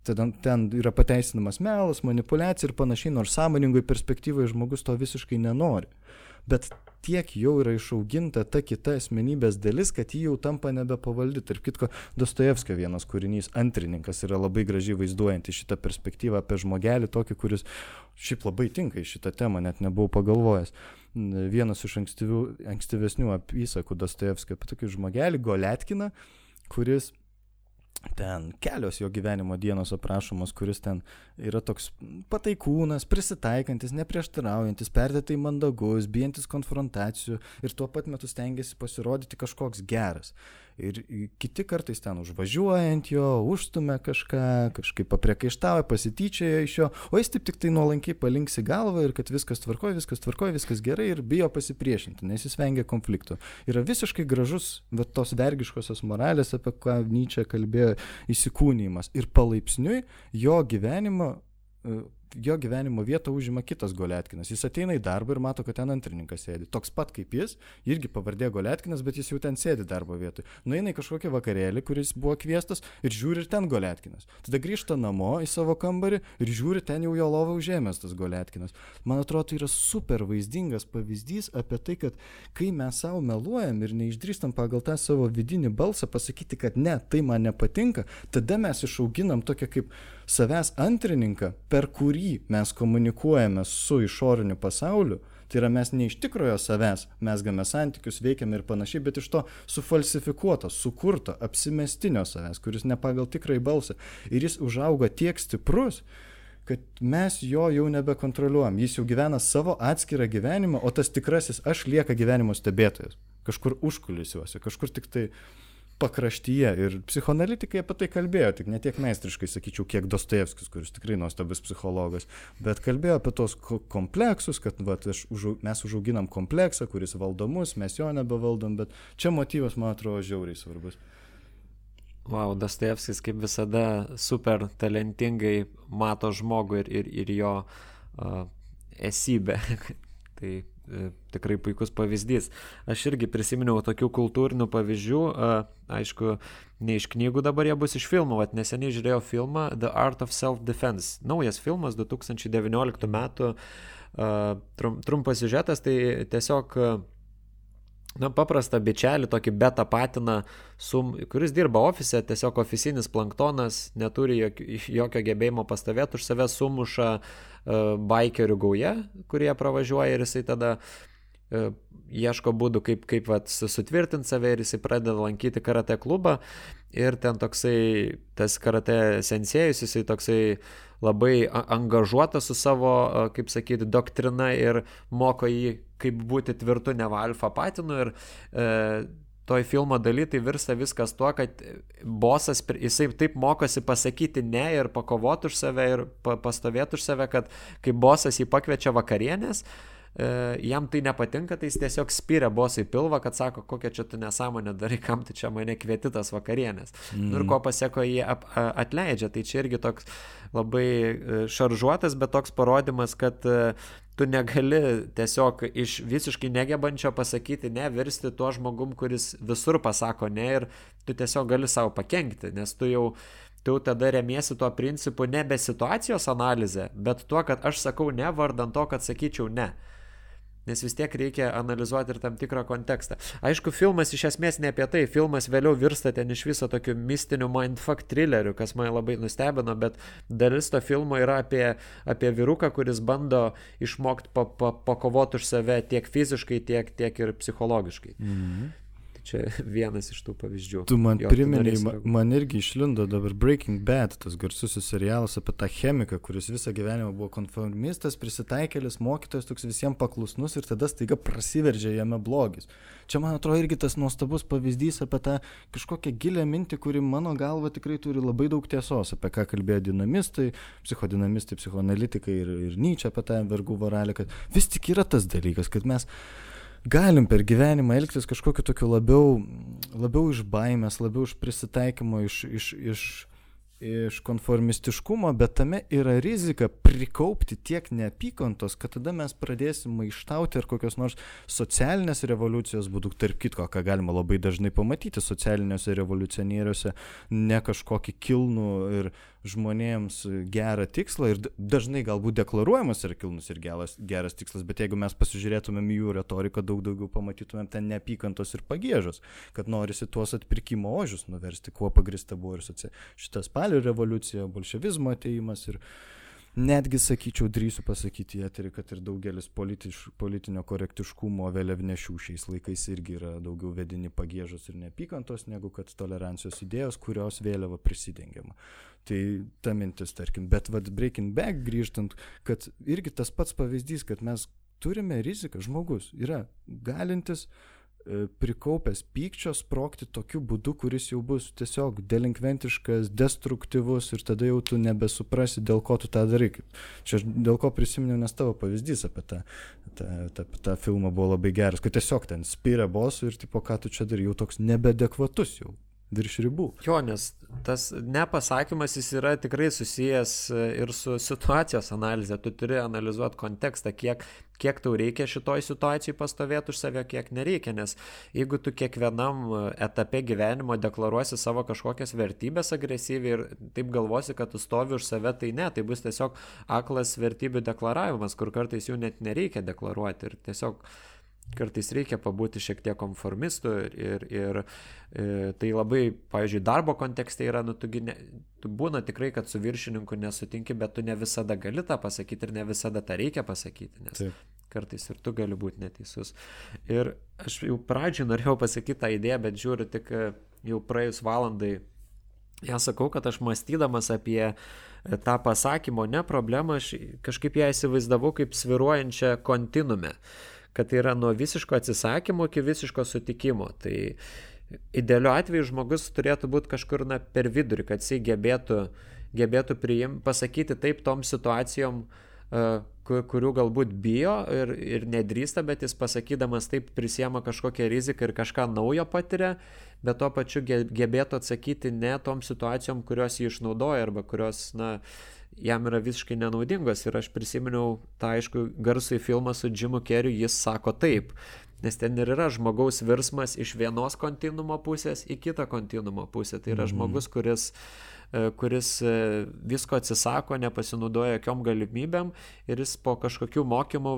Ten yra pateisinamas melas, manipulacija ir panašiai, nors sąmoningoj perspektyvoje žmogus to visiškai nenori. Bet tiek jau yra išauginta ta kita asmenybės dalis, kad ji jau tampa nebepavaldi. Tarp kitko, Dostojevskio vienas kūrinys, Antrininkas, yra labai gražiai vaizduojanti šitą perspektyvą apie žmogelį, tokį, kuris šiaip labai tinka į šitą temą, net nebuvau pagalvojęs. Vienas iš ankstyvesnių apysakų Dostojevskio apie tokį žmogelį, Goletkiną, kuris ten kelios jo gyvenimo dienos aprašomos, kuris ten yra toks pataikūnas, prisitaikantis, neprieštaraujantis, perdėtai mandagus, bijantis konfrontacijų ir tuo pat metu stengiasi pasirodyti kažkoks geras. Ir kiti kartais ten užvažiuojant jo, užstumia kažkaip papriekaištauja, pasityčioja iš jo, o jis tik tai nuolankiai palinksi galvą ir kad viskas tvarkoja, viskas gerai ir bijo pasipriešinti, nes jis vengia konfliktų. Yra visiškai gražus tos vergiškosios moralės, apie ką Nyčė kalbėjo, įsikūnijimas. Ir palaipsniui jo gyvenimo vietą užima kitas Goletkinas. Jis ateina į darbą ir mato, kad ten antrininkas sėdi. Toks pat kaip jis, irgi pavardė Goletkinas, bet jis jau ten sėdi darbo vietoj. Nueina į kažkokią vakarėlį, kuris buvo kviestas ir žiūri ir ten Goletkinas. Tada grįžta namo į savo kambarį ir žiūri, ten jau jo lovą užėmęs tas Goletkinas. Man atrodo, tai yra super vaizdingas pavyzdys apie tai, kad kai mes savo meluojam ir neišdrįstam pagal tą savo vidinį balsą pasakyti, kad ne, tai man nepatinka, tada mes išauginam tokią kaip savęs antrininką, per kurį mes komunikuojame su išoriniu pasauliu. Tai yra mes ne iš tikrojo savęs, mesgame santykius, veikiame ir panašiai, bet iš to sufalsifikuoto, sukurto, apsimestinio savęs, kuris ne pagal tikrąjį balsą. Ir jis užauga tiek stiprus, kad mes jo jau nebekontroliuojam. Jis jau gyvena savo atskirą gyvenimą, o tas tikrasis aš lieka gyvenimo stebėtojas. Kažkur užkulisiuose, kažkur tik tai pakraštyje ir psichoanalitikai apie tai kalbėjo, tik ne tiek meistriškai, sakyčiau, kiek Dostojevskis, kuris tikrai nuostabus psichologas, bet kalbėjo apie tos kompleksus, kad mes užauginam kompleksą, kuris valdo mus, mes jo nebevaldom, bet čia motyvas, man atrodo, žiauriai svarbus. Wow, Dostojevskis kaip visada super talentingai mato žmogų ir jo esybę. Tai tikrai puikus pavyzdys. Aš irgi prisiminiau tokių kultūrinių pavyzdžių, aišku, ne iš knygų dabar jie bus iš filmų, neseniai žiūrėjau filmą The Art of Self-Defense. Naujas filmas 2019 metų, trumpas siužetas, tai tiesiog paprastą bičelį, tokį beta patiną, kuris dirba ofise, tiesiog ofisinis planktonas, neturi jokio gebėjimo pastovėti, už save sumuša baikerių gauja, kurie pravažiuoja ir jisai tada ieško būdų, kaip sutvirtinti save ir jisai pradeda lankyti karate klubą ir ten toksai, tas karate sensėjus, jisai toksai labai angažuotas su savo, kaip sakyti, doktrina ir moko jį, kaip būti tvirtu neva alfa patinu ir toj filmo daly tai virsta viskas tuo, kad bosas, jisai taip mokosi pasakyti ne ir pakovoti už save ir pastovėti už save, kad kai bosas jį pakviečia vakarienės, jam tai nepatinka, tai jis tiesiog spyrė bosai pilvą, kad sako, kokia čia tu nesąmonė darai, kam tu čia mane kvieti tas vakarienės. Ir ko paseko jį atleidžia, tai čia irgi toks labai šaržuotas, bet toks parodymas, kad tu negali tiesiog iš visiškai negebančio pasakyti ne, virsti tuo žmogum, kuris visur pasako ne ir tu tiesiog gali savo pakenkti, nes tu tada remiesi tuo principu nebe situacijos analizė, bet tuo, kad aš sakau ne vardan to, kad sakyčiau ne. Nes vis tiek reikia analizuoti ir tam tikrą kontekstą. Aišku, filmas iš esmės ne apie tai, filmas vėliau virsta ten iš viso tokiu mistiniu mindfuck thrilleriu, kas mane labai nustebino, bet dalis to filmo yra apie vyruką, kuris bando išmokti pakovoti už save tiek fiziškai, tiek ir psichologiškai. Čia vienas iš tų pavyzdžių. Tu man priminei, man irgi išlindo dabar Breaking Bad, tas garsusis serialas apie tą chemiką, kuris visą gyvenimą buvo konformistas, prisitaikėlis, mokytojas, toks visiems paklusnus ir tada staiga prasiveržia jame blogis. Čia, man atrodo, irgi tas nuostabus pavyzdys apie tą kažkokią gilę mintį, kuri mano galva tikrai turi labai daug tiesos, apie ką kalbėjo dinamistai, psichodinamistai, psichoanalitikai ir Nyčė apie tą vergų vorelę, kad vis tik yra tas dalykas, kad mes galim per gyvenimą elgtis kažkokiu tokiu labiau iš baimės, labiau iš prisitaikymo, iš konformistiškumo, bet tame yra rizika prikaupti tiek neapykantos, kad tada mes pradėsim maištauti ar kokios nors socialinės revoliucijos būdų, tarp kitko, ką galima labai dažnai pamatyti socialiniuose revoliucionieriuose, ne kažkokį kilnų ir žmonėms gerą tikslą ir dažnai galbūt deklaruojamas yra kilnus ir geras tikslas, bet jeigu mes pasižiūrėtumėm jų retoriką, daug daugiau pamatytumėm ten neapykantos ir pagiežos, kad norisi tuos atpirkimo ožius nuversti, kuo pagrįsta buvo ir šita spalio revoliucija, bolševizmo atėjimas ir netgi, sakyčiau, drįsiu pasakyti į eterį, kad ir daugelis politinio korektiškumo vėliavnešių šiais laikais irgi yra daugiau vedini pagiežos ir neapykantos, negu kad tolerancijos idėjos, kurios vėliava prisidengiama. Tai ta mintis, tarkim, bet Breaking Bad grįžtant, kad irgi tas pats pavyzdys, kad mes turime riziką, žmogus yra galintis prikaupęs pykčio sprogti tokiu būdu, kuris jau bus tiesiog delinkventiškas, destruktyvus ir tada jau tu nebesuprasi, dėl ko tu tą darai. Čia dėl ko prisiminiau, nes tavo pavyzdys apie tą filmą buvo labai geras, kad tiesiog ten spyrė bosų ir tipo, ką tu čia darai, jau toks nebeadekvatus jau. Virš ribų. Jo, nes tas nepasakymas jis yra tikrai susijęs ir su situacijos analizė. Tu turi analizuoti kontekstą, kiek tau reikia šitoj situacijai pastovėti už save, kiek nereikia, nes jeigu tu kiekvienam etape gyvenimo deklaruosi savo kažkokias vertybės agresyviai ir taip galvosi, kad tu stovi už save, tai ne, tai bus tiesiog aklas vertybių deklaravimas, kur kartais jų net nereikia deklaruoti ir tiesiog kartais reikia pabūti šiek tiek konformistų ir tai labai, pavyzdžiui, darbo kontekste yra, tu būna tikrai, kad su viršininku nesutinki, bet tu ne visada gali tą pasakyti ir ne visada tą reikia pasakyti, nes Taip. Kartais ir tu gali būti neteisus. Ir aš jau pradžioj norėjau pasakyti tą idėją, bet žiūriu tik jau praėjus valandai. Ja sakau, kad aš mąstydamas apie tą pasakymo ne problemą, aš kažkaip ją įsivaizdavau kaip svyruojančią kontinume, kad tai yra nuo visiško atsisakymo iki visiško sutikimo. Tai idealiu atveju žmogus turėtų būti kažkur per vidurį, kad jisai gebėtų pasakyti taip tom situacijom, kurių galbūt bijo ir nedrįsta, bet jis pasakydamas taip prisiema kažkokią riziką ir kažką naujo patiria, bet tuo pačiu gebėtų atsakyti ne tom situacijom, kurios jį išnaudoja arba kurios, jam yra visiškai nenaudingos. Ir aš prisiminiau tą, aišku, garsųjį filmą su Jimu Carreyu, Jis sako taip, nes ten ir yra žmogaus virsmas iš vienos kontinuumo pusės į kitą kontinuumo pusę. Tai yra žmogus, kuris visko atsisako, nepasinaudoja jokiom galimybėm ir jis po kažkokių mokymų,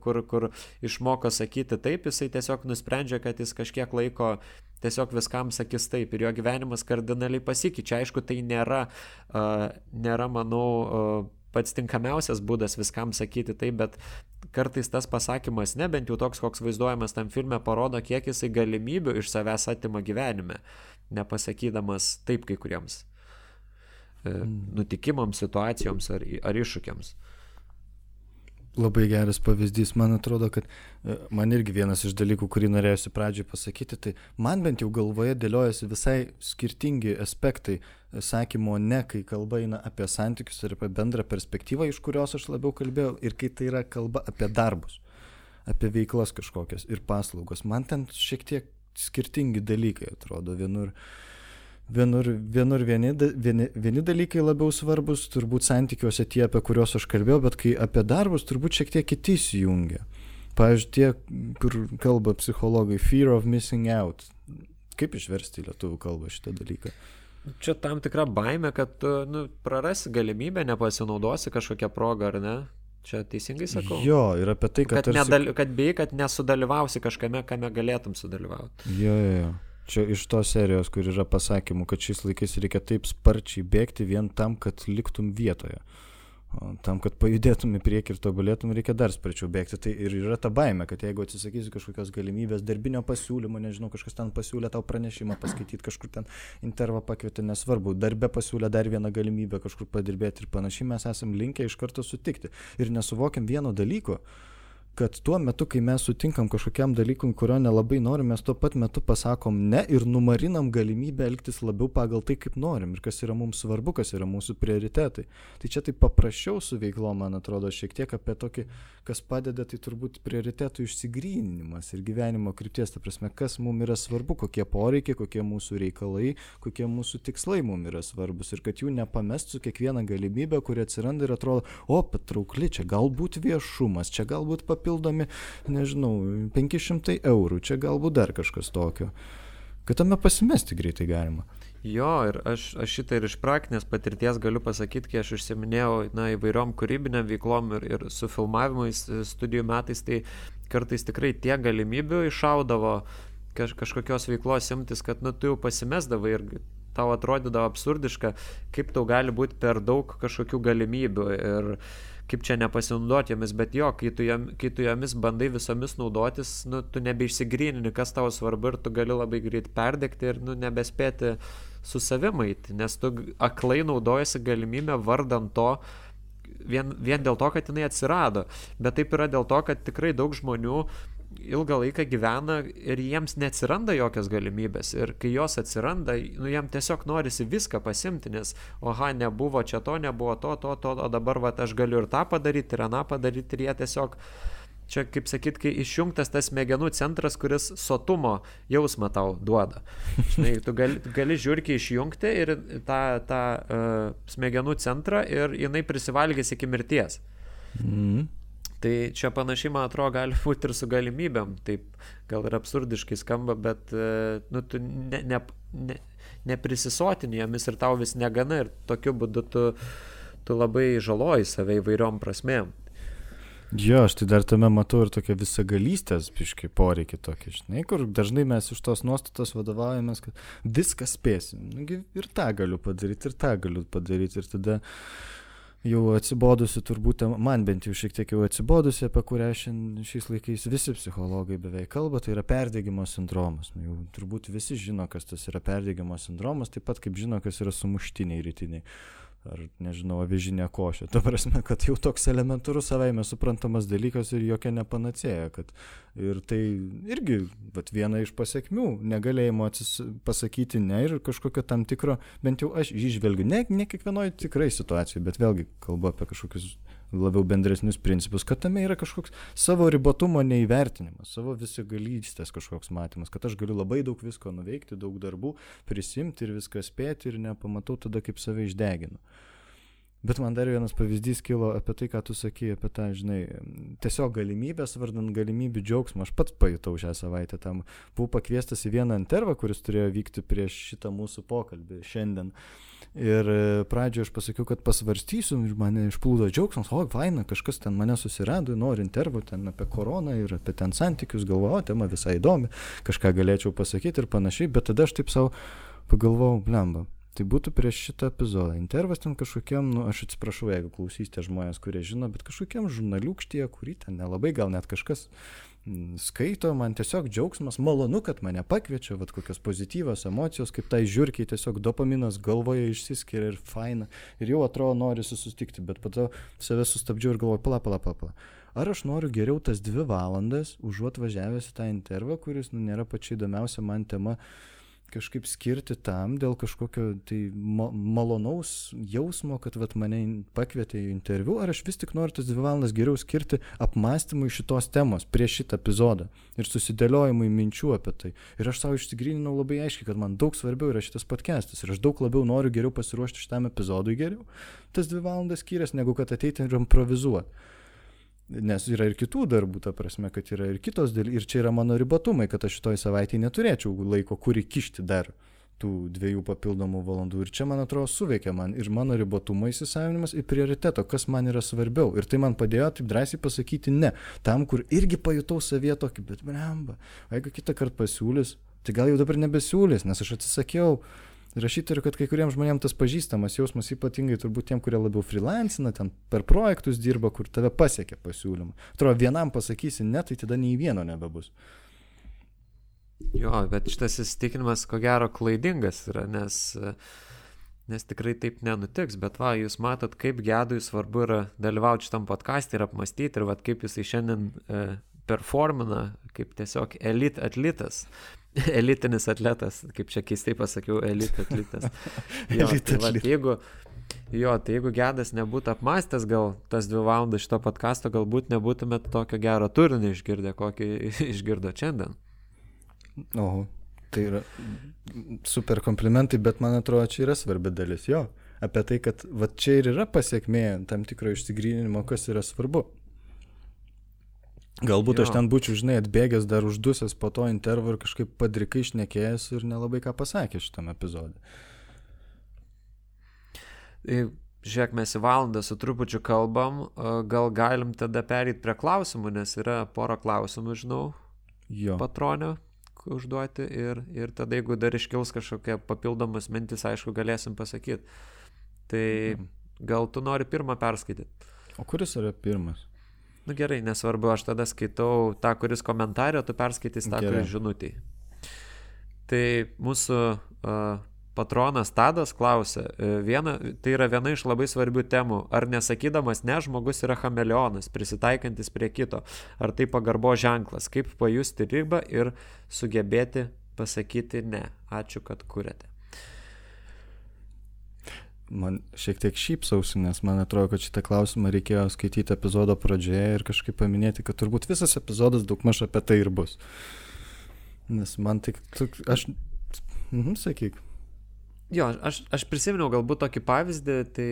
kur išmoko sakyti taip, jisai tiesiog nusprendžia, kad jis kažkiek laiko tiesiog viskam sakys taip ir jo gyvenimas kardinaliai pasikeičia. Aišku, tai nėra, manau, pats tinkamiausias būdas viskam sakyti taip, bet kartais tas pasakymas, bent jau toks, koks vaizduojamas tam filme, parodo, kiek jisai galimybių iš savęs atima gyvenime, nepasakydamas taip kai kuriems nutikimams, situacijoms ar iššūkiams. Labai geras pavyzdys. Man atrodo, kad man irgi vienas iš dalykų, kurį norėjusi pradžioj pasakyti, tai man bent jau galvoje dėliojasi visai skirtingi aspektai sakymo ne, kai kalba eina apie santykius ir apie bendrą perspektyvą, iš kurios aš labiau kalbėjau, ir kai tai yra kalba apie darbus, apie veiklas kažkokias ir paslaugos. Man ten šiek tiek skirtingi dalykai atrodo. Vienur vieni dalykai labiau svarbus, turbūt santykiuose tie, apie kuriuos aš kalbėjau, bet kai apie darbus, turbūt šiek tiek kiti įsijungia. Pavyzdžiui, tie, kur kalba psichologai, fear of missing out. Kaip išversti į lietuvių kalbą šitą dalyką? Čia tam tikra baimė, kad tu prarasi galimybę, nepasinaudosi kažkokią progą, ar ne? Čia teisingai sakau? Jo, ir apie tai, kad kad bijai, kad nesudalyvausi kažkame, kame galėtum sudalyvauti. Jo. Čia iš tos serijos, kur yra pasakymų, kad šiais laikais reikia taip sparčiai bėgti vien tam, kad liktum vietoje. Tam, kad pajudėtum į priekį ir tobulėtum, reikia dar sparčiau bėgti. Tai ir yra ta baimė, kad jeigu atsisakysi kažkokios galimybės, darbinio pasiūlymo, nežinau, kažkas ten pasiūlė tau pranešimą paskaityti, kažkur ten intervą pakvietė, nesvarbu, darbe pasiūlė dar vieną galimybę kažkur padirbėti ir panašiai, mes esam linkę iš karto sutikti. Ir nesuvokiam vieno dalyko, kad tuo metu, kai mes sutinkam kažkokiam dalykui, kurio nelabai norim, mes tuo pat metu pasakom ne ir numarinam galimybę elgtis labiau pagal tai, kaip norim ir kas yra mums svarbu, kas yra mūsų prioritetai. Tai čia taip paprasčiau su veiklom, man atrodo, šiek tiek apie tokį, kas padeda, tai turbūt prioritetų išsigryninimas ir gyvenimo krypties, ta prasme, kas mums yra svarbu, kokie poreikiai, kokie mūsų reikalai, kokie mūsų tikslai mums yra svarbus ir kad jų nepamest su kiekviena galimybė, kuri atsiranda ir atrodo, patraukli, čia galbūt viešumas, čia galbūt papildomi, nežinau, 500 eurų, čia galbūt dar kažkas tokio. Kad tame pasimesti greitai galima. Jo, ir aš šitą ir iš praktinės patirties galiu pasakyti, kai aš užsiminėjau įvairiom kūrybiniam veiklom ir su filmavimais studijų metais, tai kartais tikrai tiek galimybių iššaudavo kažkokios veiklos imtis, kad tu jau pasimesdavai ir tau atrodydavo absurdiška, kaip tau gali būti per daug kažkokių galimybių ir kaip čia nepasinaudoti jomis, bet jo, kai tu jomis bandai visomis naudotis, tu nebeišsigrynini, kas tau svarbu ir tu gali labai greit perdegti ir nebespėti su savimait, nes tu aklai naudojasi galimybę vardant to, vien dėl to, kad jinai atsirado. Bet taip yra dėl to, kad tikrai daug žmonių ilgą laiką gyvena ir jiems neatsiranda jokios galimybės. Ir kai jos atsiranda, jam tiesiog norisi viską pasimti, nes nebuvo čia to, nebuvo to, o dabar aš galiu ir tą padaryti, ir aną padaryti, ir jie tiesiog, čia kaip sakyt, kai išjungtas tas smegenų centras, kuris sotumo jausmą tau duoda. Žinai, tu gali žiurkį išjungti ir tą smegenų centrą ir jinai prisivalgys iki mirties. Tai čia panašiai, man atrodo, gali būti ir su galimybėm. Taip, gal ir absurdiškai skamba, bet tu neprisisotini jomis ir tau vis negana ir tokiu būdu tu labai žaloji save įvairiom prasmėm. Jo, aš tai dar tame matau ir tokia visagalystės biškai poreikį tokį, žinai, kur dažnai mes iš tos nuostatos vadovaujamės, kad viską spėsim. Ir tą galiu padaryti, ir tą galiu padaryti. Ir tada jau atsibodusi, turbūt man bent jau šiek tiek jau atsibodusi, apie kurią šiais laikais visi psichologai beveik kalba, tai yra perdegimo sindromas. Jau turbūt visi žino, kas tas yra perdegimo sindromas, taip pat kaip žino, kas yra sumuštiniai rytiniai. ar nežinau, avižinė košė. Ta prasme, kad jau toks elementarus savaime suprantamas dalykas ir jokia nepanacėja. Ir tai irgi viena iš pasiekmių, negalėjimo pasakyti ne ir kažkokio tam tikro, bent jau aš išvelgiu, ne kiekvienoje tikrai situacijoje, bet vėlgi kalbu apie kažkokius labiau bendresnius principus, kad tame yra kažkoks savo ribotumo neįvertinimas, savo visigalystės kažkoks matymas, kad aš galiu labai daug visko nuveikti, daug darbų prisimti ir viską spėti ir nepamatau tada, kaip save išdeginu. Bet man dar vienas pavyzdys kilo apie tai, ką tu sakai, apie tą, žinai, tiesiog galimybės, vardant galimybių džiaugsmą. Aš pats pajutau šią savaitę tam. Buvau pakviestas į vieną intervą, kuris turėjo vykti prieš šitą mūsų pokalbį šiandien. Ir pradžioje aš pasakiau, kad pasvarstysiu ir mane išplūdo džiaugsmas, faina, kažkas ten mane susirado, nori intervų ten apie koroną ir apie ten santykius, galvoju, tema visai įdomi, kažką galėčiau pasakyti ir panašiai, bet tada aš taip savo pagalvojau, blemba. Tai būtų prieš šitą epizodą. Intervas ten kažkokiam, aš atsiprašau, jeigu klausysite žmonės, kurie žino, bet kažkokiam žurnaliūkštyje, kurį ten nelabai gal net kažkas skaito, man tiesiog džiaugsmas, malonu, kad mane pakviečia, kokios pozityvios emocijos, kaip tai žiurkiai, tiesiog dopaminas galvoje išsiskiria ir faina. Ir jau atrodo norisi susitikti, bet po to save sustabdžiau ir galvoju, pala. Ar aš noriu geriau tas 2 valandas, užuot važiavęs į tą intervą, kuris nėra pačia įdomiausia man tema, kažkaip skirti tam dėl kažkokio tai malonaus jausmo, kad mane pakvietė į interviu, ar aš vis tik noriu tas 2 valandas geriau skirti apmąstymui šitos temos prieš šitą epizodą ir susidėliojimui minčių apie tai. Ir aš savo išsigryninau labai aiškiai, kad man daug svarbiau yra šitas podcastas ir aš daug labiau noriu geriau pasiruošti šitam epizodui geriau tas 2 valandas skyręs, negu kad ateiti ir improvizuoti. Nes yra ir kitų darbų, ta prasme, kad yra ir kitos dalykai. Ir čia yra mano ribotumai, kad aš šitoj savaitėje neturėčiau laiko, kur įkišti dar tų 2 papildomų valandų. Ir čia, man atrodo, suveikia man ir mano ribotumo įsisavinimas ir prioriteto, kas man yra svarbiau. Ir tai man padėjo taip drąsiai pasakyti ne. Tam, kur irgi pajutau savyje tokį, bet blemba, jeigu kitą kartą pasiūlys, tai gal jau dabar nebesiūlys, nes aš atsisakiau. Rašyti ir kad kai kuriems žmonėms tas pažįstamas jausmas, ypatingai turbūt tiem, kurie labiau freelancina, ten per projektus dirba, kur tave pasiekia pasiūlymą. Atrodo, vienam pasakysi ne, tai tada nei vieno nebebus. Jo, bet šitas įsitikinimas ko gero klaidingas yra, nes tikrai taip nenutiks, bet jūs matot, kaip Gedui svarbu yra dalyvauti šitam podcast'e ir apmastyti, ir kaip jisai šiandien performina, kaip tiesiog atletas. Elitinis atletas, kaip čia keistai pasakiau, atletas. Jeigu Gedas nebūtų apmastęs gal tas 2 valandas šito podcasto, galbūt nebūtumėt tokio gero turinio išgirdę, kokį išgirdo šiandien. Oho, tai yra super komplimentai, bet man atrodo, čia yra svarbi dalis jo. Apie tai, kad čia ir yra pasiekmė tam tikro išsigryninimo, kas yra svarbu. Galbūt aš ten būčiau, žinai, atbėgęs dar uždusęs po to intervą ir kažkaip padrikai šnekėjęs ir nelabai ką pasakė šitam epizodui. Žiūrėk, mes į valandą su trupučiu kalbam, gal galim tada perėti prie klausimų, nes yra pora klausimų, žinau, patronio užduoti ir tada, jeigu dar iškils kažkokia papildomas mintis, aišku, galėsim pasakyti. Tai gal tu nori pirmą perskaityti? O kuris yra pirmas? Nu gerai, nesvarbu, aš tada skaitau tą, kuris komentarė, o tu perskaitys tą, kuris žinutėj. Tai mūsų patronas Tadas klausia, tai yra viena iš labai svarbių temų, ar nesakydamas ne, žmogus yra chameleonas, prisitaikantis prie kito, ar tai pagarbo ženklas, kaip pajusti ribą ir sugebėti pasakyti ne. Ačiū, kad kuriate. Man šiek tiek šypsausi, nes man atrodo, kad šitą klausimą reikėjo skaityti epizodo pradžioje ir kažkaip paminėti, kad turbūt visas epizodas daugmaž apie tai ir bus. Nes man tik, sakyk. Jo, aš prisiminiau galbūt tokį pavyzdį, tai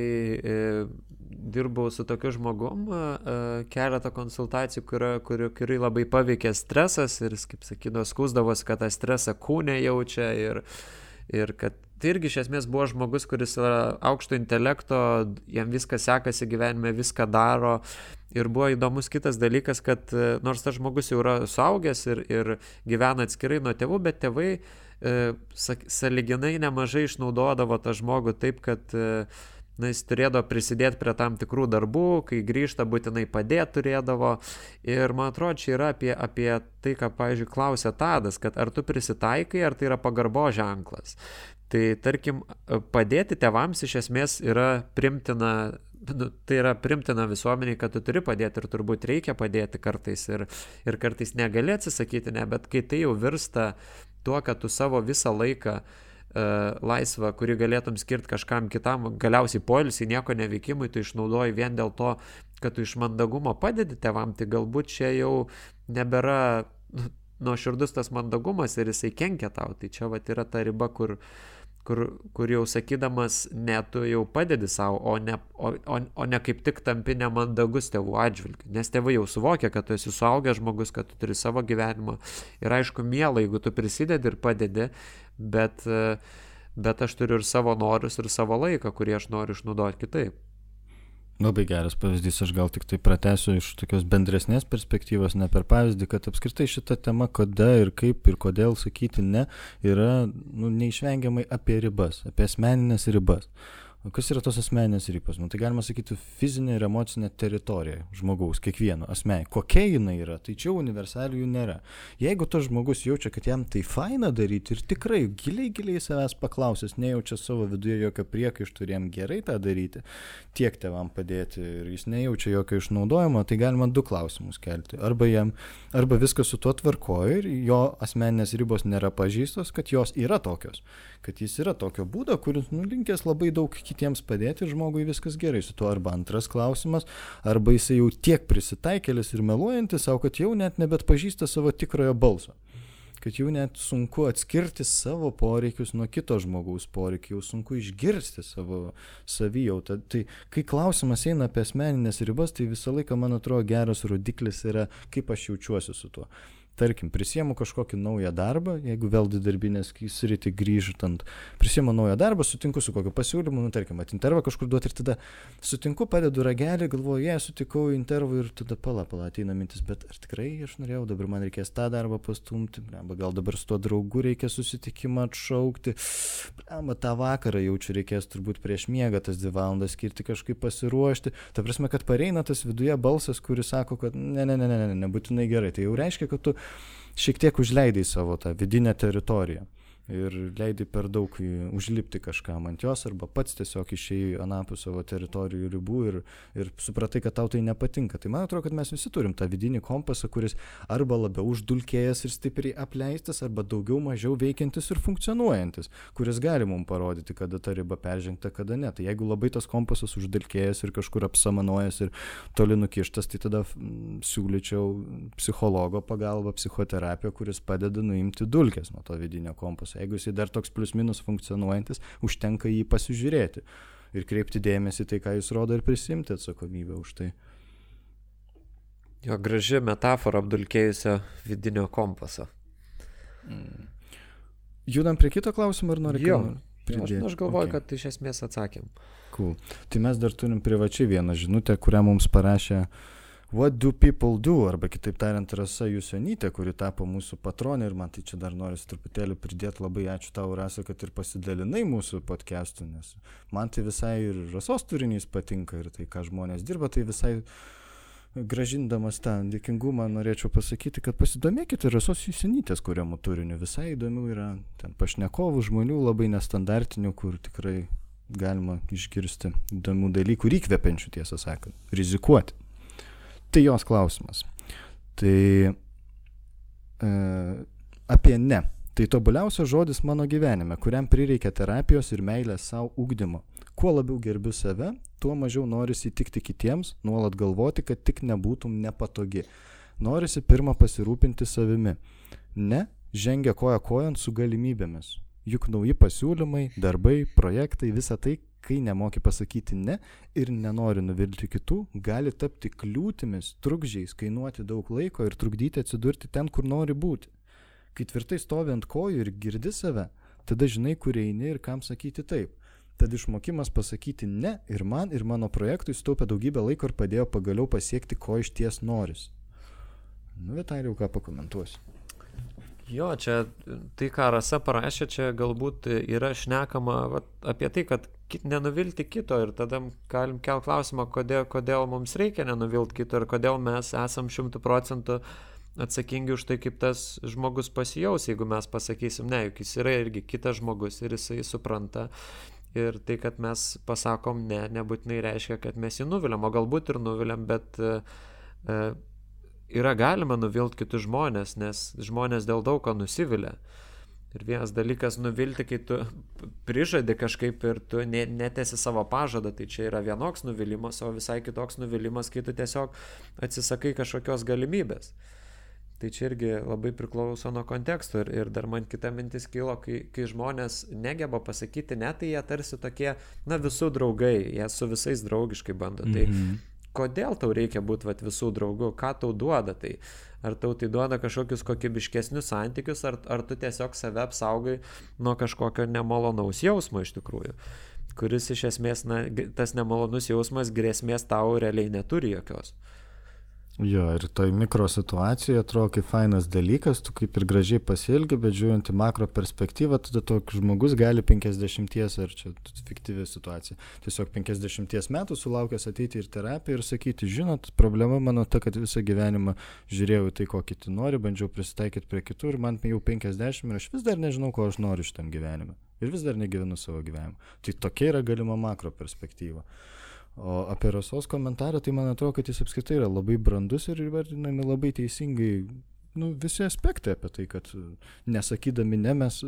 dirbau su tokiu žmogum, keletą konsultacijų, kurį labai paveikė stresas ir, kaip sakydavo, skųsdavosi, kad tą stresą kūne jaučia ir kad tai irgi iš esmės buvo žmogus, kuris yra aukšto intelekto, jam viskas sekasi gyvenime, viską daro. Ir buvo įdomus kitas dalykas, kad nors tas žmogus jau yra suaugęs ir gyvena atskirai nuo tėvų, bet tėvai sąlyginai nemažai išnaudodavo tą žmogų taip, kad jis turėdavo prisidėti prie tam tikrų darbų, kai grįžta būtinai padėti turėdavo. Ir man atrodo, čia yra apie tai, ką, pavyzdžiui, klausė Tadas, kad ar tu prisitaikai, ar tai yra pagarbo ženklas. Tai tarkim, padėti tėvams iš esmės yra primtina, tai yra primtina visuomeniai, kad tu turi padėti ir turbūt reikia padėti kartais ir kartais negali atsisakyti, ne, bet kai tai jau virsta tuo, kad tu savo visą laiką laisvą, kurį galėtum skirti kažkam kitam, galiausiai poilsį, nieko neveikimui, tu išnaudoji vien dėl to, kad tu iš mandagumo padedi tėvam, tai galbūt čia jau nebėra nuoširdus tas mandagumas ir jisai kenkia tau. Tai čia vat yra ta riba, kur jau sakydamas, ne, tu jau padedi savo, o ne kaip tik tampi nemandagus tėvų atžvilgiu. Nes tėvai jau suvokia, kad tu esi suaugęs žmogus, kad tu turi savo gyvenimą. Ir aišku, miela, jeigu tu prisidedi ir padedi, bet aš turiu ir savo norus, ir savo laiką, kurį aš noriu išnaudoti kitaip. Labai geras pavyzdys, aš gal tik tai pratęsiu iš tokios bendresnės perspektyvos, ne per pavyzdį, kad apskritai šita tema, kada ir kaip ir kodėl sakyti ne, yra neišvengiamai apie ribas, apie asmeninės ribas. O kas yra tos asmeninės ribos? Tai galima sakyti fizinė ir emocinė teritorija žmogaus, kiekvieno asmenį. Kokia jinai yra? Tai čia universalių nėra. Jeigu tas žmogus jaučia, kad jam tai faina daryti ir tikrai giliai savęs paklausęs, nejaučia savo viduje jokio priekaištų ir jam gerai tą daryti, tiek tėvam padėti ir jis nejaučia jokio išnaudojimo, tai galima 2 klausimus kelti. Arba viskas su tuo tvarkoja ir jo asmeninės ribos nėra pažįstos, kad jos yra tokios. Kad jis yra tokio būdo, kuris linkęs labai daug kitiems padėti ir žmogui viskas gerai su tuo. Arba antras klausimas, arba jisai jau tiek prisitaikėlis ir meluojantis savo, kad jau net nebet pažįsta savo tikrojo balso. Kad jau net sunku atskirti savo poreikius nuo kito žmogaus poreikių, jau sunku išgirsti savo savijautą. Tai kai klausimas eina apie asmeninės ribas, tai visą laiką, man atrodo, geras rodiklis yra, kaip aš jaučiuosi su tuo. Tarkim, prisiemu kažkokį naują darbą, jeigu vėl darbinės sritį grįžtant, prisiemu naują darbą, sutinku su kokiu pasiūlymu, tarkim, intervą kažkur duoti ir tada sutinku, padedu ragelį, galvoju, sutikau intervą ir tada pala, ateina mintis, bet ar tikrai aš norėjau, dabar man reikės tą darbą pastumti, gal dabar su tuo draugu reikia susitikimą atšaukti, tą vakarą jaučiu reikės turbūt prieš miegą tas 2 valandas skirti kažkaip pasiruošti, ta prasme, kad pareina tas viduje balsas, kuris sako, kad nebūtinai gerai, tai jau reiškia, kad tu šiek tiek užleidai savo tą vidinę teritoriją ir leidai per daug užlipti kažkam ant jos arba pats tiesiog išėjai anapus savo teritorijų ribų ir supratai, kad tau tai nepatinka. Tai man atrodo, kad mes visi turim tą vidinį kompasą, kuris arba labiau uždulkėjęs ir stipriai apleistas, arba daugiau mažiau veikiantis ir funkcionuojantis, kuris gali mums parodyti, kada ta riba peržengta, kada ne. Tai jeigu labai tas kompasas uždulkėjęs ir kažkur apsamanojęs ir toli nukištas, tai tada siūlyčiau psichologo pagalbą, psichoterapiją, kuris padeda nuimti dulkes nuo to vidinio kompaso. Jeigu jisai dar toks plius minus funkcionuojantis, užtenka jį pasižiūrėti ir kreipti dėmesį tai, ką jis rodo ir prisimti atsakomybę už tai. Jo, graži metafora apdulkėjusio vidinio kompaso. Judam prie kito klausimo, ar nori pridėti? Aš galvoju, kad iš esmės atsakėm. Cool. Tai mes dar turim privačiai vieną žinutę, kurią mums parašė What do people do? Arba kitaip tariant, Rasa Jusionytė, kuri tapo mūsų patronė ir man tai čia dar norisi truputėlį pridėti. Labai ačiū tau, Rasa, kad ir pasidalinai mūsų podcastų, nes man tai visai ir Rasos turinys patinka ir tai, ką žmonės dirba, tai visai gražindamas tą dėkingumą norėčiau pasakyti, kad pasidomėkite Rasos Jusionytės kuriamų turinių. Visai įdomių yra ten pašnekovų žmonių, labai nestandartinių, kur tikrai galima išgirsti įdomių dalykų ir įkvepiančių, tiesą sakant, rizikuoti. Tai jos klausimas. Tai apie ne. Tai tobuliausias žodis mano gyvenime, kuriam prireikia terapijos ir meilės savo ugdymo. Kuo labiau gerbiu save, tuo mažiau norisi įtikti kitiems, nuolat galvoti, kad tik nebūtum nepatogi. Norisi pirmą pasirūpinti savimi. Ne, žengia koja kojon su galimybėmis. Juk nauji pasiūlymai, darbai, projektai, visa tai, kai nemoki pasakyti ne ir nenori nuvilti kitų, gali tapti kliūtimis, trukdžiais, kainuoti daug laiko ir trukdyti atsidurti ten, kur nori būti. Kai tvirtai stovi ant kojų ir girdi save, tada žinai, kur eini ir kam sakyti taip. Tad išmokimas pasakyti ne ir man, ir mano projektui sutaupė daugybę laiko ir padėjo pagaliau pasiekti, ko iš ties noris. Vitalijau, ką pakomentuosiu? Jo, čia tai, ką Rasa parašė, čia galbūt yra šnekama apie tai, kad nenuvilti kito ir tada galim kelt klausimą, kodėl mums reikia nenuvilti kito ir kodėl mes esam 100% atsakingi už tai, kaip tas žmogus pasijaus, jeigu mes pasakysim, ne, juk jis yra irgi kitas žmogus ir jisai supranta. Ir tai, kad mes pasakom ne, nebūtinai reiškia, kad mes jį nuviliam, o galbūt ir nuviliam, bet yra galima nuvilti kitus žmonės, nes žmonės dėl daug ko nusivilia. Ir vienas dalykas nuvilti, kai tu prižadi kažkaip ir tu netesi savo pažadą, tai čia yra vienoks nuvilimas, o visai kitoks nuvilimas, kai tu tiesiog atsisakai kažkokios galimybės. Tai čia irgi labai priklauso nuo konteksto ir dar man kita mintis kilo, kai žmonės negeba pasakyti, ne, tai jie tarsi tokie, visų draugai, jie su visais draugiškai bando. Tai kodėl tau reikia būti visų draugų, ką tau duoda tai? Ar tau tai duoda kažkokius kokybiškesnius santykius, ar tu tiesiog save apsaugai nuo kažkokio nemalonaus jausmo iš tikrųjų, kuris iš esmės, tas nemalonus jausmas grėsmės tau realiai neturi jokios. Jo, ir toj mikro situacijoje atrodo kaip fainas dalykas, tu kaip ir gražiai pasielgi, bet žiūrint į makro perspektyvą, tada toks žmogus gali 50, ar čia fiktyvi situacija, tiesiog 50 metų sulaukęs ateiti ir terapiją ir sakyti, žinot, problema mano ta, kad visą gyvenimą žiūrėjau tai, ko kiti nori, bandžiau prisitaikyti prie kitų ir man jau 50 ir aš vis dar nežinau, ko aš noriu šitam gyvenime. Ir vis dar negyvenu savo gyvenimą. Tai tokia yra galima makro perspektyva. O apie Rasos komentarą, tai man atrodo, kad jis apskritai yra labai brandus ir įvardinami labai teisingai visi aspektai apie tai, kad nesakydami ne, mes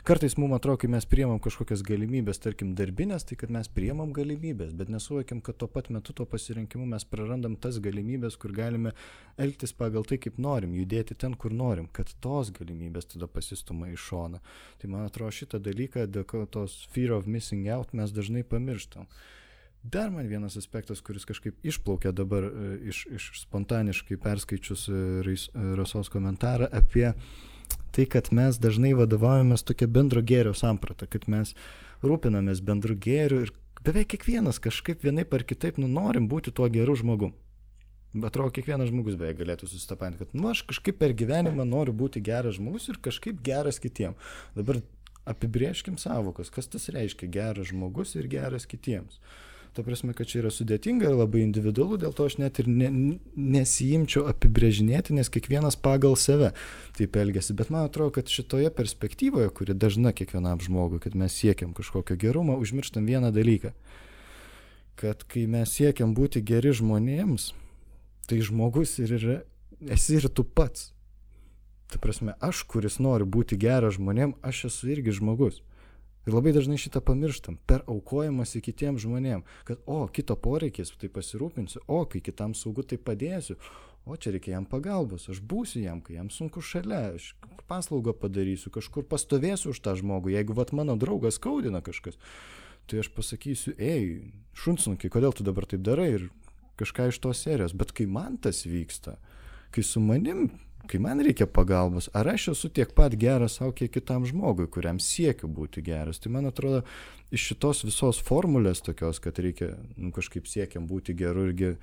kartais mums atrodo, kai mes priimam kažkokias galimybės, tarkim darbinės, tai kad mes priimam galimybės, bet nesuvokiam, kad tuo pat metu to pasirinkimu mes prarandam tas galimybės, kur galime elgtis pagal tai, kaip norim, judėti ten, kur norim, kad tos galimybės tada pasistuma į šoną. Tai man atrodo, šitą dalyką, dėl tos fear of missing out mes dažnai pamirštam. Dar man vienas aspektas, kuris kažkaip išplaukė dabar iš spontaniškai perskaičius Rasos komentarą apie tai, kad mes dažnai vadovaujamės tokia bendro gėrio samprata, kad mes rūpinamės bendru gėriu ir beveik kiekvienas kažkaip vienaip ar kitaip norim būti tuo geru žmogum. Atrodo, kiekvienas žmogus beveik galėtų susitapatinti, kad aš kažkaip per gyvenimą noriu būti geras žmogus ir kažkaip geras kitiem. Dabar apibrėžkim sąvokas, kas tas reiškia geras žmogus ir geras kitiems. Ta prasme, kad čia yra sudėtinga ir labai individualu, dėl to aš net ir nesijimčiau apibrėžinėti, nes kiekvienas pagal save taip elgiasi. Bet man atrodo, kad šitoje perspektyvoje, kuri dažna kiekvienam žmogui, kad mes siekiam kažkokio gerumo, užmirštam vieną dalyką. Kad kai mes siekiam būti geri žmonėms, tai žmogus ir yra, esi ir tu pats. Ta prasme, aš, kuris noriu būti geras žmonėm, aš esu irgi žmogus. Ir labai dažnai šitą pamirštam, per aukojimąsi kitiems žmonėm, kad kito poreikis, tai pasirūpinsiu, kai kitam saugu, tai padėsiu, čia reikia jam pagalbos, aš būsiu jam, kai jam sunku šalia, aš paslaugą padarysiu, kažkur pastovėsiu už tą žmogų, jeigu mano draugas skaudina kažkas, tai aš pasakysiu, šunsnukiai, kodėl tu dabar taip darai ir kažką iš tos serijos, bet kai man tas vyksta, kai su manim, kai man reikia pagalbos, ar aš esu tiek pat geras savo, kiek kitam žmogui, kuriam siekiu būti geras. Tai man atrodo, iš šitos visos formulės tokios, kad reikia kažkaip siekiam būti geru ir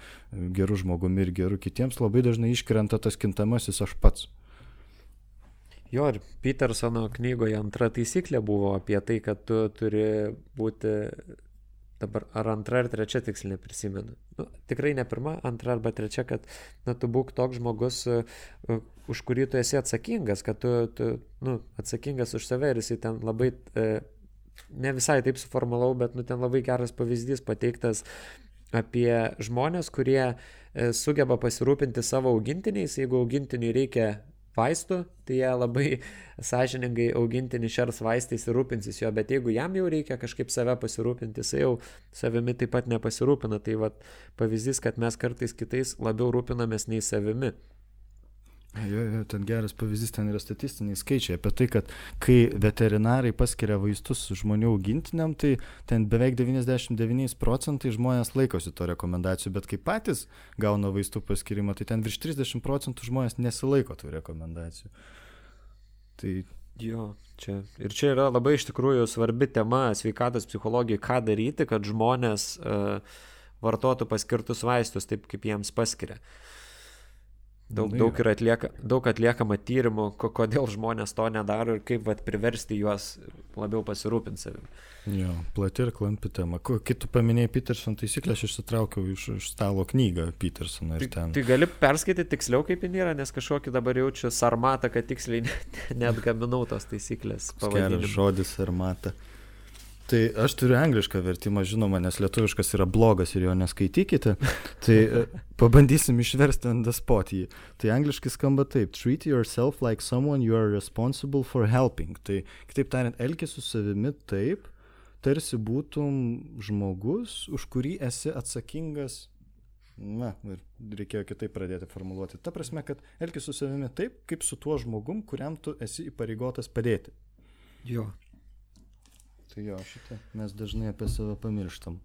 geru žmogumi ir geru kitiems, labai dažnai iškrenta tas kintamasis aš pats. Jo, ir Petersono knygoje 2 taisyklė buvo apie tai, kad tu turi būti, dabar ar 2 ar 3 tiksliai neprisimenu. Tikrai ne 1, 2 arba 3, kad tu būk toks žmogus, už kurį tu esi atsakingas, kad tu atsakingas už save ir jisai ten labai, ne visai taip suformulau, bet ten labai geras pavyzdys pateiktas apie žmonės, kurie sugeba pasirūpinti savo augintiniais, jeigu augintiniui reikia vaistų, tai jie labai sąžiningai augintinį šers vaistais ir rūpinsis jo, bet jeigu jam jau reikia kažkaip save pasirūpinti, jis jau savimi taip pat nepasirūpina. Tai pavyzdys, kad mes kartais kitais labiau rūpinamės nei savimi. Jo, ten geras pavyzdys, ten yra statistiniai skaičiai apie tai, kad kai veterinarai paskiria vaistus žmonių augintiniam, tai ten beveik 99% žmonės laikosi to rekomendacijų, bet kai patys gauna vaistų paskirimą, tai ten virš 30% žmonės nesilaiko tų rekomendacijų. Tai jo, čia yra labai iš tikrųjų svarbi tema sveikatos psichologijai, ką daryti, kad žmonės vartotų paskirtus vaistus taip, kaip jiems paskiria. Daug atliekama tyrimų, kodėl žmonės to nedaro ir kaip priversti juos labiau pasirūpinti savim. Jo, plati ir klampi tema. Kai tu paminėjai Peterson taisyklę, aš išsitraukiau iš stalo knygą Petersono ir ten. Tai gali perskaityti tiksliau, kaip jin yra, nes kažkokį dabar jaučiu sarmatą, kad tiksliai net gaminau tos taisyklės pavadinimą. Geras žodis sarmata. Tai aš turiu anglišką vertimą, žinoma, nes lietuviškas yra blogas ir jo neskaitykite. Tai pabandysim išversti on the spot jį. Tai angliškai skamba taip: treat yourself like someone you are responsible for helping. Tai kitaip tariant, elkis su savimi taip, tarsi būtum žmogus, už kurį esi atsakingas. Na, ir reikėjo kitaip pradėti formuluoti. Ta prasme, kad elkis su savimi taip, kaip su tuo žmogum, kuriam tu esi įpareigotas padėti. Jo. Tai jo, šitą mes dažnai apie save pamirštam.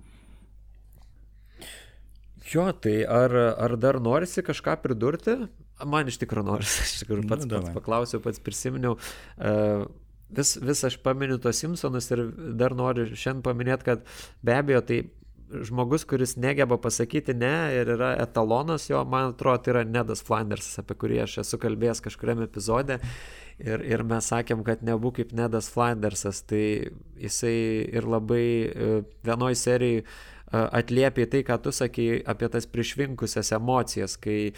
Jo, tai ar dar norisi kažką pridurti? Man iš tikrųjų norisi, aš pats paklausiau, pats prisiminiau. Vis aš paminiu tos Simpsonus ir dar noriu šiandien paminėti, kad be abejo, tai žmogus, kuris negeba pasakyti ne ir yra etalonas jo, man atrodo, tai yra Nedas Flandersas, apie kurį aš esu kalbėjęs kažkuriame epizode. Ir mes sakėm, kad nebūk kaip Nedas Flandersas, tai jisai ir labai vienoj serijai atliepia tai, ką tu sakei apie tas prišvinkusias emocijas, kai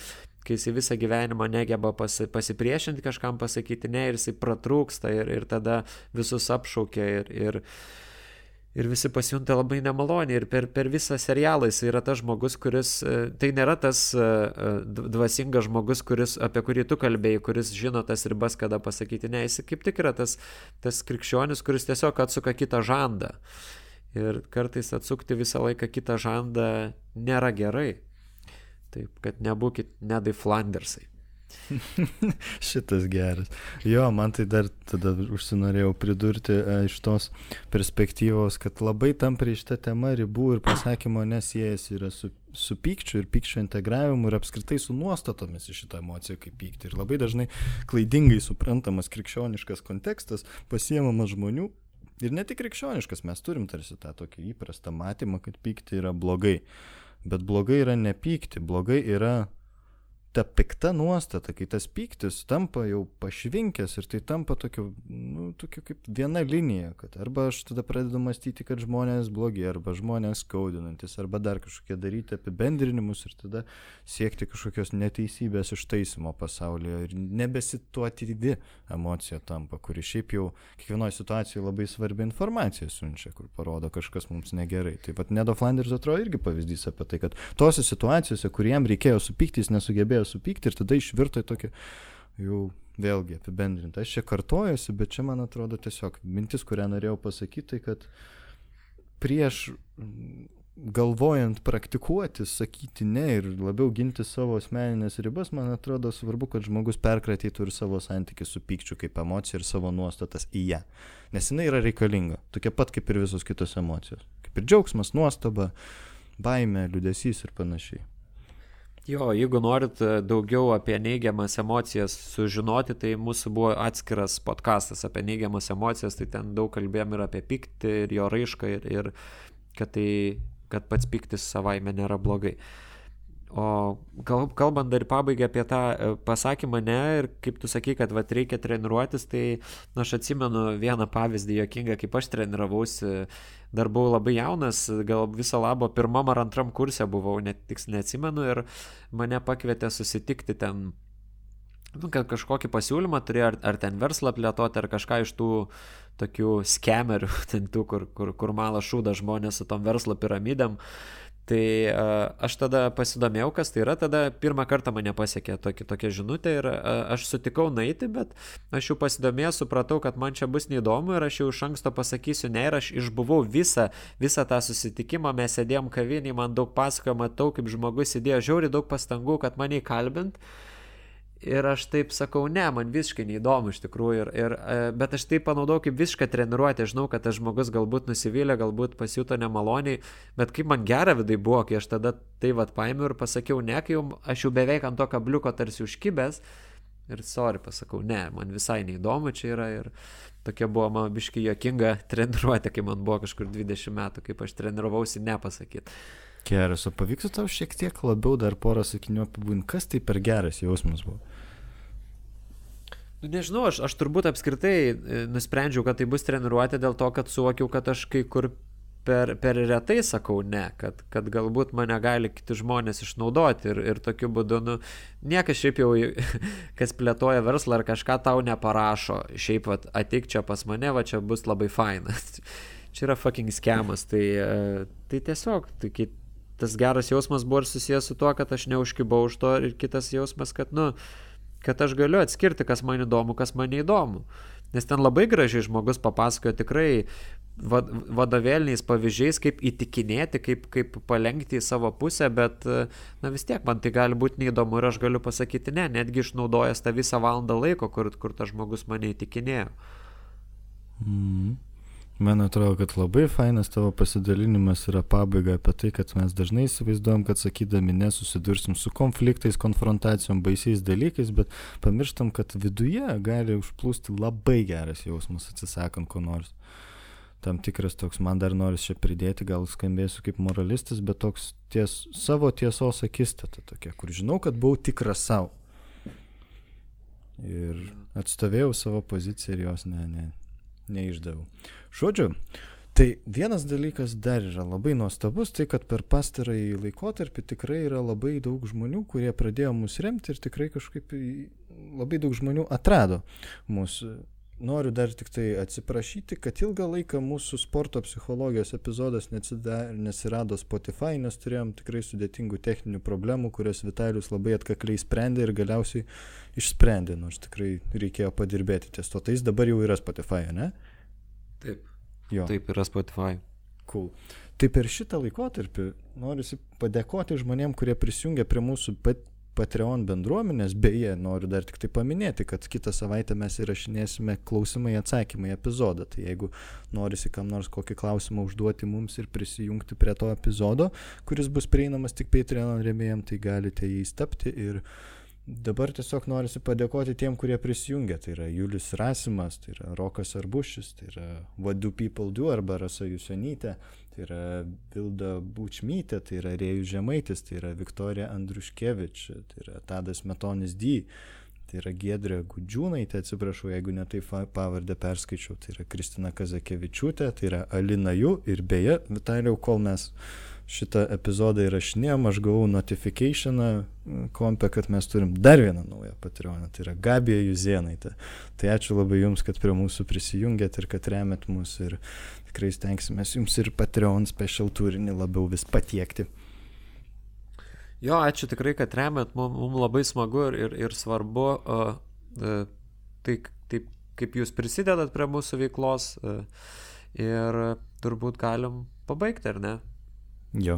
jisai visą gyvenimą negeba pasipriešinti kažkam pasakyti ne ir jisai pratrūksta ir tada visus apšaukia ir visi pasijunta labai nemaloniai ir per visą serialą jis yra tas žmogus, kuris, tai nėra tas dvasingas žmogus, apie kurį tu kalbėjai, kuris žino tas ribas, kada pasakyti ne, jis kaip tik yra tas krikščionis, kuris tiesiog atsuka kitą žandą ir kartais atsukti visą laiką kitą žandą nėra gerai, taip, kad nebūkit Nedai Flandersai. Šitas geras. Jo, man tai dar tada užsinorėjau pridurti iš tos perspektyvos, kad labai tampriai šitą temą ribų ir pasakymo nesiejasi yra su pykčiu ir pykčio integravimu ir apskritai su nuostatomis į šitą emociją kaip pykti. Ir labai dažnai klaidingai suprantamas krikščioniškas kontekstas pasiemamas žmonių ir ne tik krikščioniškas, mes turim tarsi tą tokį įprastą matymą, kad pykti yra blogai. Bet blogai yra ne pykti, blogai yra ta pikta nuostata, kai tas pyktis tampa jau pašvinkęs ir tai tampa tokia kaip viena linija, kad arba aš tada pradedu mąstyti, kad žmonės blogi, arba žmonės skaudinantis, arba dar kažkokie daryti apibendrinimus ir tada siekti kažkokios neteisybės ištaisimo pasaulyje ir nebesituatyvi emocija tampa, kuri šiaip jau kiekvienoje situacijoje labai svarbi informacija siunčia, kur parodo kažkas mums negerai. Tai vat Nedo Flanders atrodo irgi pavyzdys apie tai, kad tose situacijose, kur jam reikėjo supykti, jis nesugebėjo supykti ir tada išvirto į tokį jau vėlgi apibendrinti. Aš čia kartojuosi, bet čia man atrodo tiesiog mintis, kurią norėjau pasakyti, kad prieš galvojant praktikuoti, sakyti ne ir labiau ginti savo asmeninės ribas, man atrodo svarbu, kad žmogus perkratytų ir savo santykį su pykčiu kaip emocija ir savo nuostatas į ją. Nes jinai yra reikalinga, tokia pat kaip ir visos kitos emocijos. Kaip ir džiaugsmas, nuostaba, baimė, liūdesys ir panašiai. Jo, jeigu norit daugiau apie neigiamas emocijas sužinoti, tai mūsų buvo atskiras podcastas apie neigiamas emocijas, tai ten daug kalbėjom ir apie pyktį, ir jo raišką, ir kad pats pyktis savaime nėra blogai. O kalbant dar pabaigai apie tą pasakymą ne ir kaip tu sakai, kad reikia treniruotis, tai aš atsimenu vieną pavyzdį juokingą, kaip aš treniravausi, dar buvau labai jaunas, gal viso labo pirmam ar antram kurse buvau, neatsimenu ir mane pakvietė susitikti ten, kad kažkokį pasiūlymą turėjo ar ten verslą plėtoti, ar kažką iš tų tokių skemerių, ten tų, kur mala šūda žmonės su tom verslo piramidėm. Tai aš tada pasidomėjau, kas tai yra, tada pirmą kartą mane pasiekė tokia žinutė ir aš sutikau nueiti, bet aš jau pasidomėjau, supratau, kad man čia bus neįdomu ir aš jau iš anksto pasakysiu ne ir aš išbuvau visą tą susitikimą, mes sėdėjom kavinėje, man daug pasakojo, matau, kaip žmogus įdėjo žiauriai daug pastangų, kad mane įkalbint. Ir aš taip sakau, ne, man visiškai neįdomu iš tikrųjų, bet aš taip panaudojau kaip visišką treniruotę, žinau, kad tas žmogus galbūt nusivylė, galbūt pasijuto nemaloniai, bet kaip man gera vidai buvo, kai aš tada tai paėmiau ir pasakiau ne, kai aš jau beveik ant to kabliuko tarsi užkibęs ir pasakau, ne, man visai neįdomu čia yra ir tokia buvo man biškai juokinga treniruotė, kai man buvo kažkur 20 metų, kaip aš treniravausi nepasakyti. Geras, o pavyktų tau šiek tiek labiau dar porą sakinių apibūdinti, kas tai per geras jausmas buvo? Nu, nežinau, aš turbūt apskritai nusprendžiau, kad tai bus treniruotė dėl to, kad suvokiau, kad aš kai kur per retai sakau ne, kad galbūt mane gali kiti žmonės išnaudoti ir tokiu būdu, nu, niekas šiaip jau, kas plėtoja verslą ar kažką tau neparašo, šiaip ateik čia pas mane, va čia bus labai fainas. Čia yra fucking skemas, tai tiesiog, tas geras jausmas buvo ir susijęs su tuo, kad aš neužkibau už to ir kitas jausmas, kad, nu, kad aš galiu atskirti, kas man įdomu, kas man neįdomu. Nes ten labai gražiai žmogus papasakojo tikrai vadovėliniais pavyzdžiais, kaip įtikinėti, kaip palenkti į savo pusę, bet na vis tiek man tai gali būti neįdomu ir aš galiu pasakyti ne, netgi išnaudojęs tą visą valandą laiko, kur tas žmogus mane įtikinėjo. Man atrodo, kad labai fainas tavo pasidalinimas yra pabaiga apie tai, kad mes dažnai įsivaizduojam, kad sakydami nesusidursim su konfliktais, konfrontacijom, baisiais dalykais, bet pamirštam, kad viduje gali užplūsti labai geras jausmas atsisakant ko nors. Tam tikras toks, man dar noris čia pridėti, gal skambėsiu kaip moralistas, bet toks savo tiesos akistata tokia, kur žinau, kad buvau tikras savo. Ir atstovėjau savo poziciją ir jos neišdaviau. Žodžiu, tai vienas dalykas dar yra labai nuostabus, tai kad per pastarąjį laikotarpį tikrai yra labai daug žmonių, kurie pradėjo mus remti ir tikrai kažkaip labai daug žmonių atrado mūsų. Noriu dar tik tai atsiprašyti, kad ilgą laiką mūsų sporto psichologijos epizodas nesirado Spotify, nes turėjom tikrai sudėtingų techninių problemų, kurias Vitalijus labai atkakliai sprendė ir galiausiai išsprendė, nors tikrai reikėjo padirbėti ties to. Tai jis dabar jau yra Spotify, ne? Taip. Jo. Taip yra Spotify. Cool. Tai per šitą laikotarpį norisi padėkoti žmonėm, kurie prisijungia prie mūsų Patreon bendruomenės, beje, noriu dar tik tai paminėti, kad kitą savaitę mes įrašinėsime klausimai atsakymai epizodą, tai jeigu norisi kam nors kokį klausimą užduoti mums ir prisijungti prie to epizodo, kuris bus prieinamas tik Patreon rėmėjam, tai galite jais tapti ir dabar tiesiog norisi padėkoti tiem, kurie prisijungia, tai yra Julius Rasimas, tai yra Rokas Arbušis, tai yra What Do People Do arba Rasa Jusionytė, tai yra Vilda Bučmytė, tai yra Rėjus Žemaitis, tai yra Viktorija Andriuškevič, tai yra Tadas Metonis D, tai yra Giedrė Gudžiūnaitė, atsiprašau, jeigu ne taip pavardę perskaičiau, tai yra Kristina Kazakevičiūtė, tai yra Alina Jų ir beje, Vitalijau, kol mes šitą epizodą įrašinėjom, aš gavau notificationą kompę, kad mes turim dar vieną naują Patreoną, tai yra Gabija Juzėnaitė. Tai ačiū labai jums, kad prie mūsų prisijungėt ir kad remet mus ir tikrai stengsimės jums ir Patreon special turinį labiau vis patiekti. Jo, ačiū tikrai, kad remet, mums labai smagu ir svarbu, tai kaip jūs prisidedat prie mūsų veiklos ir turbūt galim pabaigti, ar ne? Jo.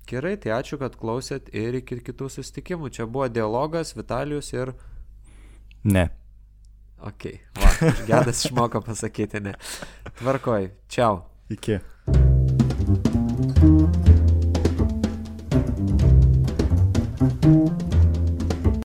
Gerai, tai ačiū, kad klausėt ir iki kitų susitikimų. Čia buvo dialogas, Vitalijus ir... Ne. Ok, va, Gedas išmoko pasakyti ne. Tvarkoj, čiau. Iki.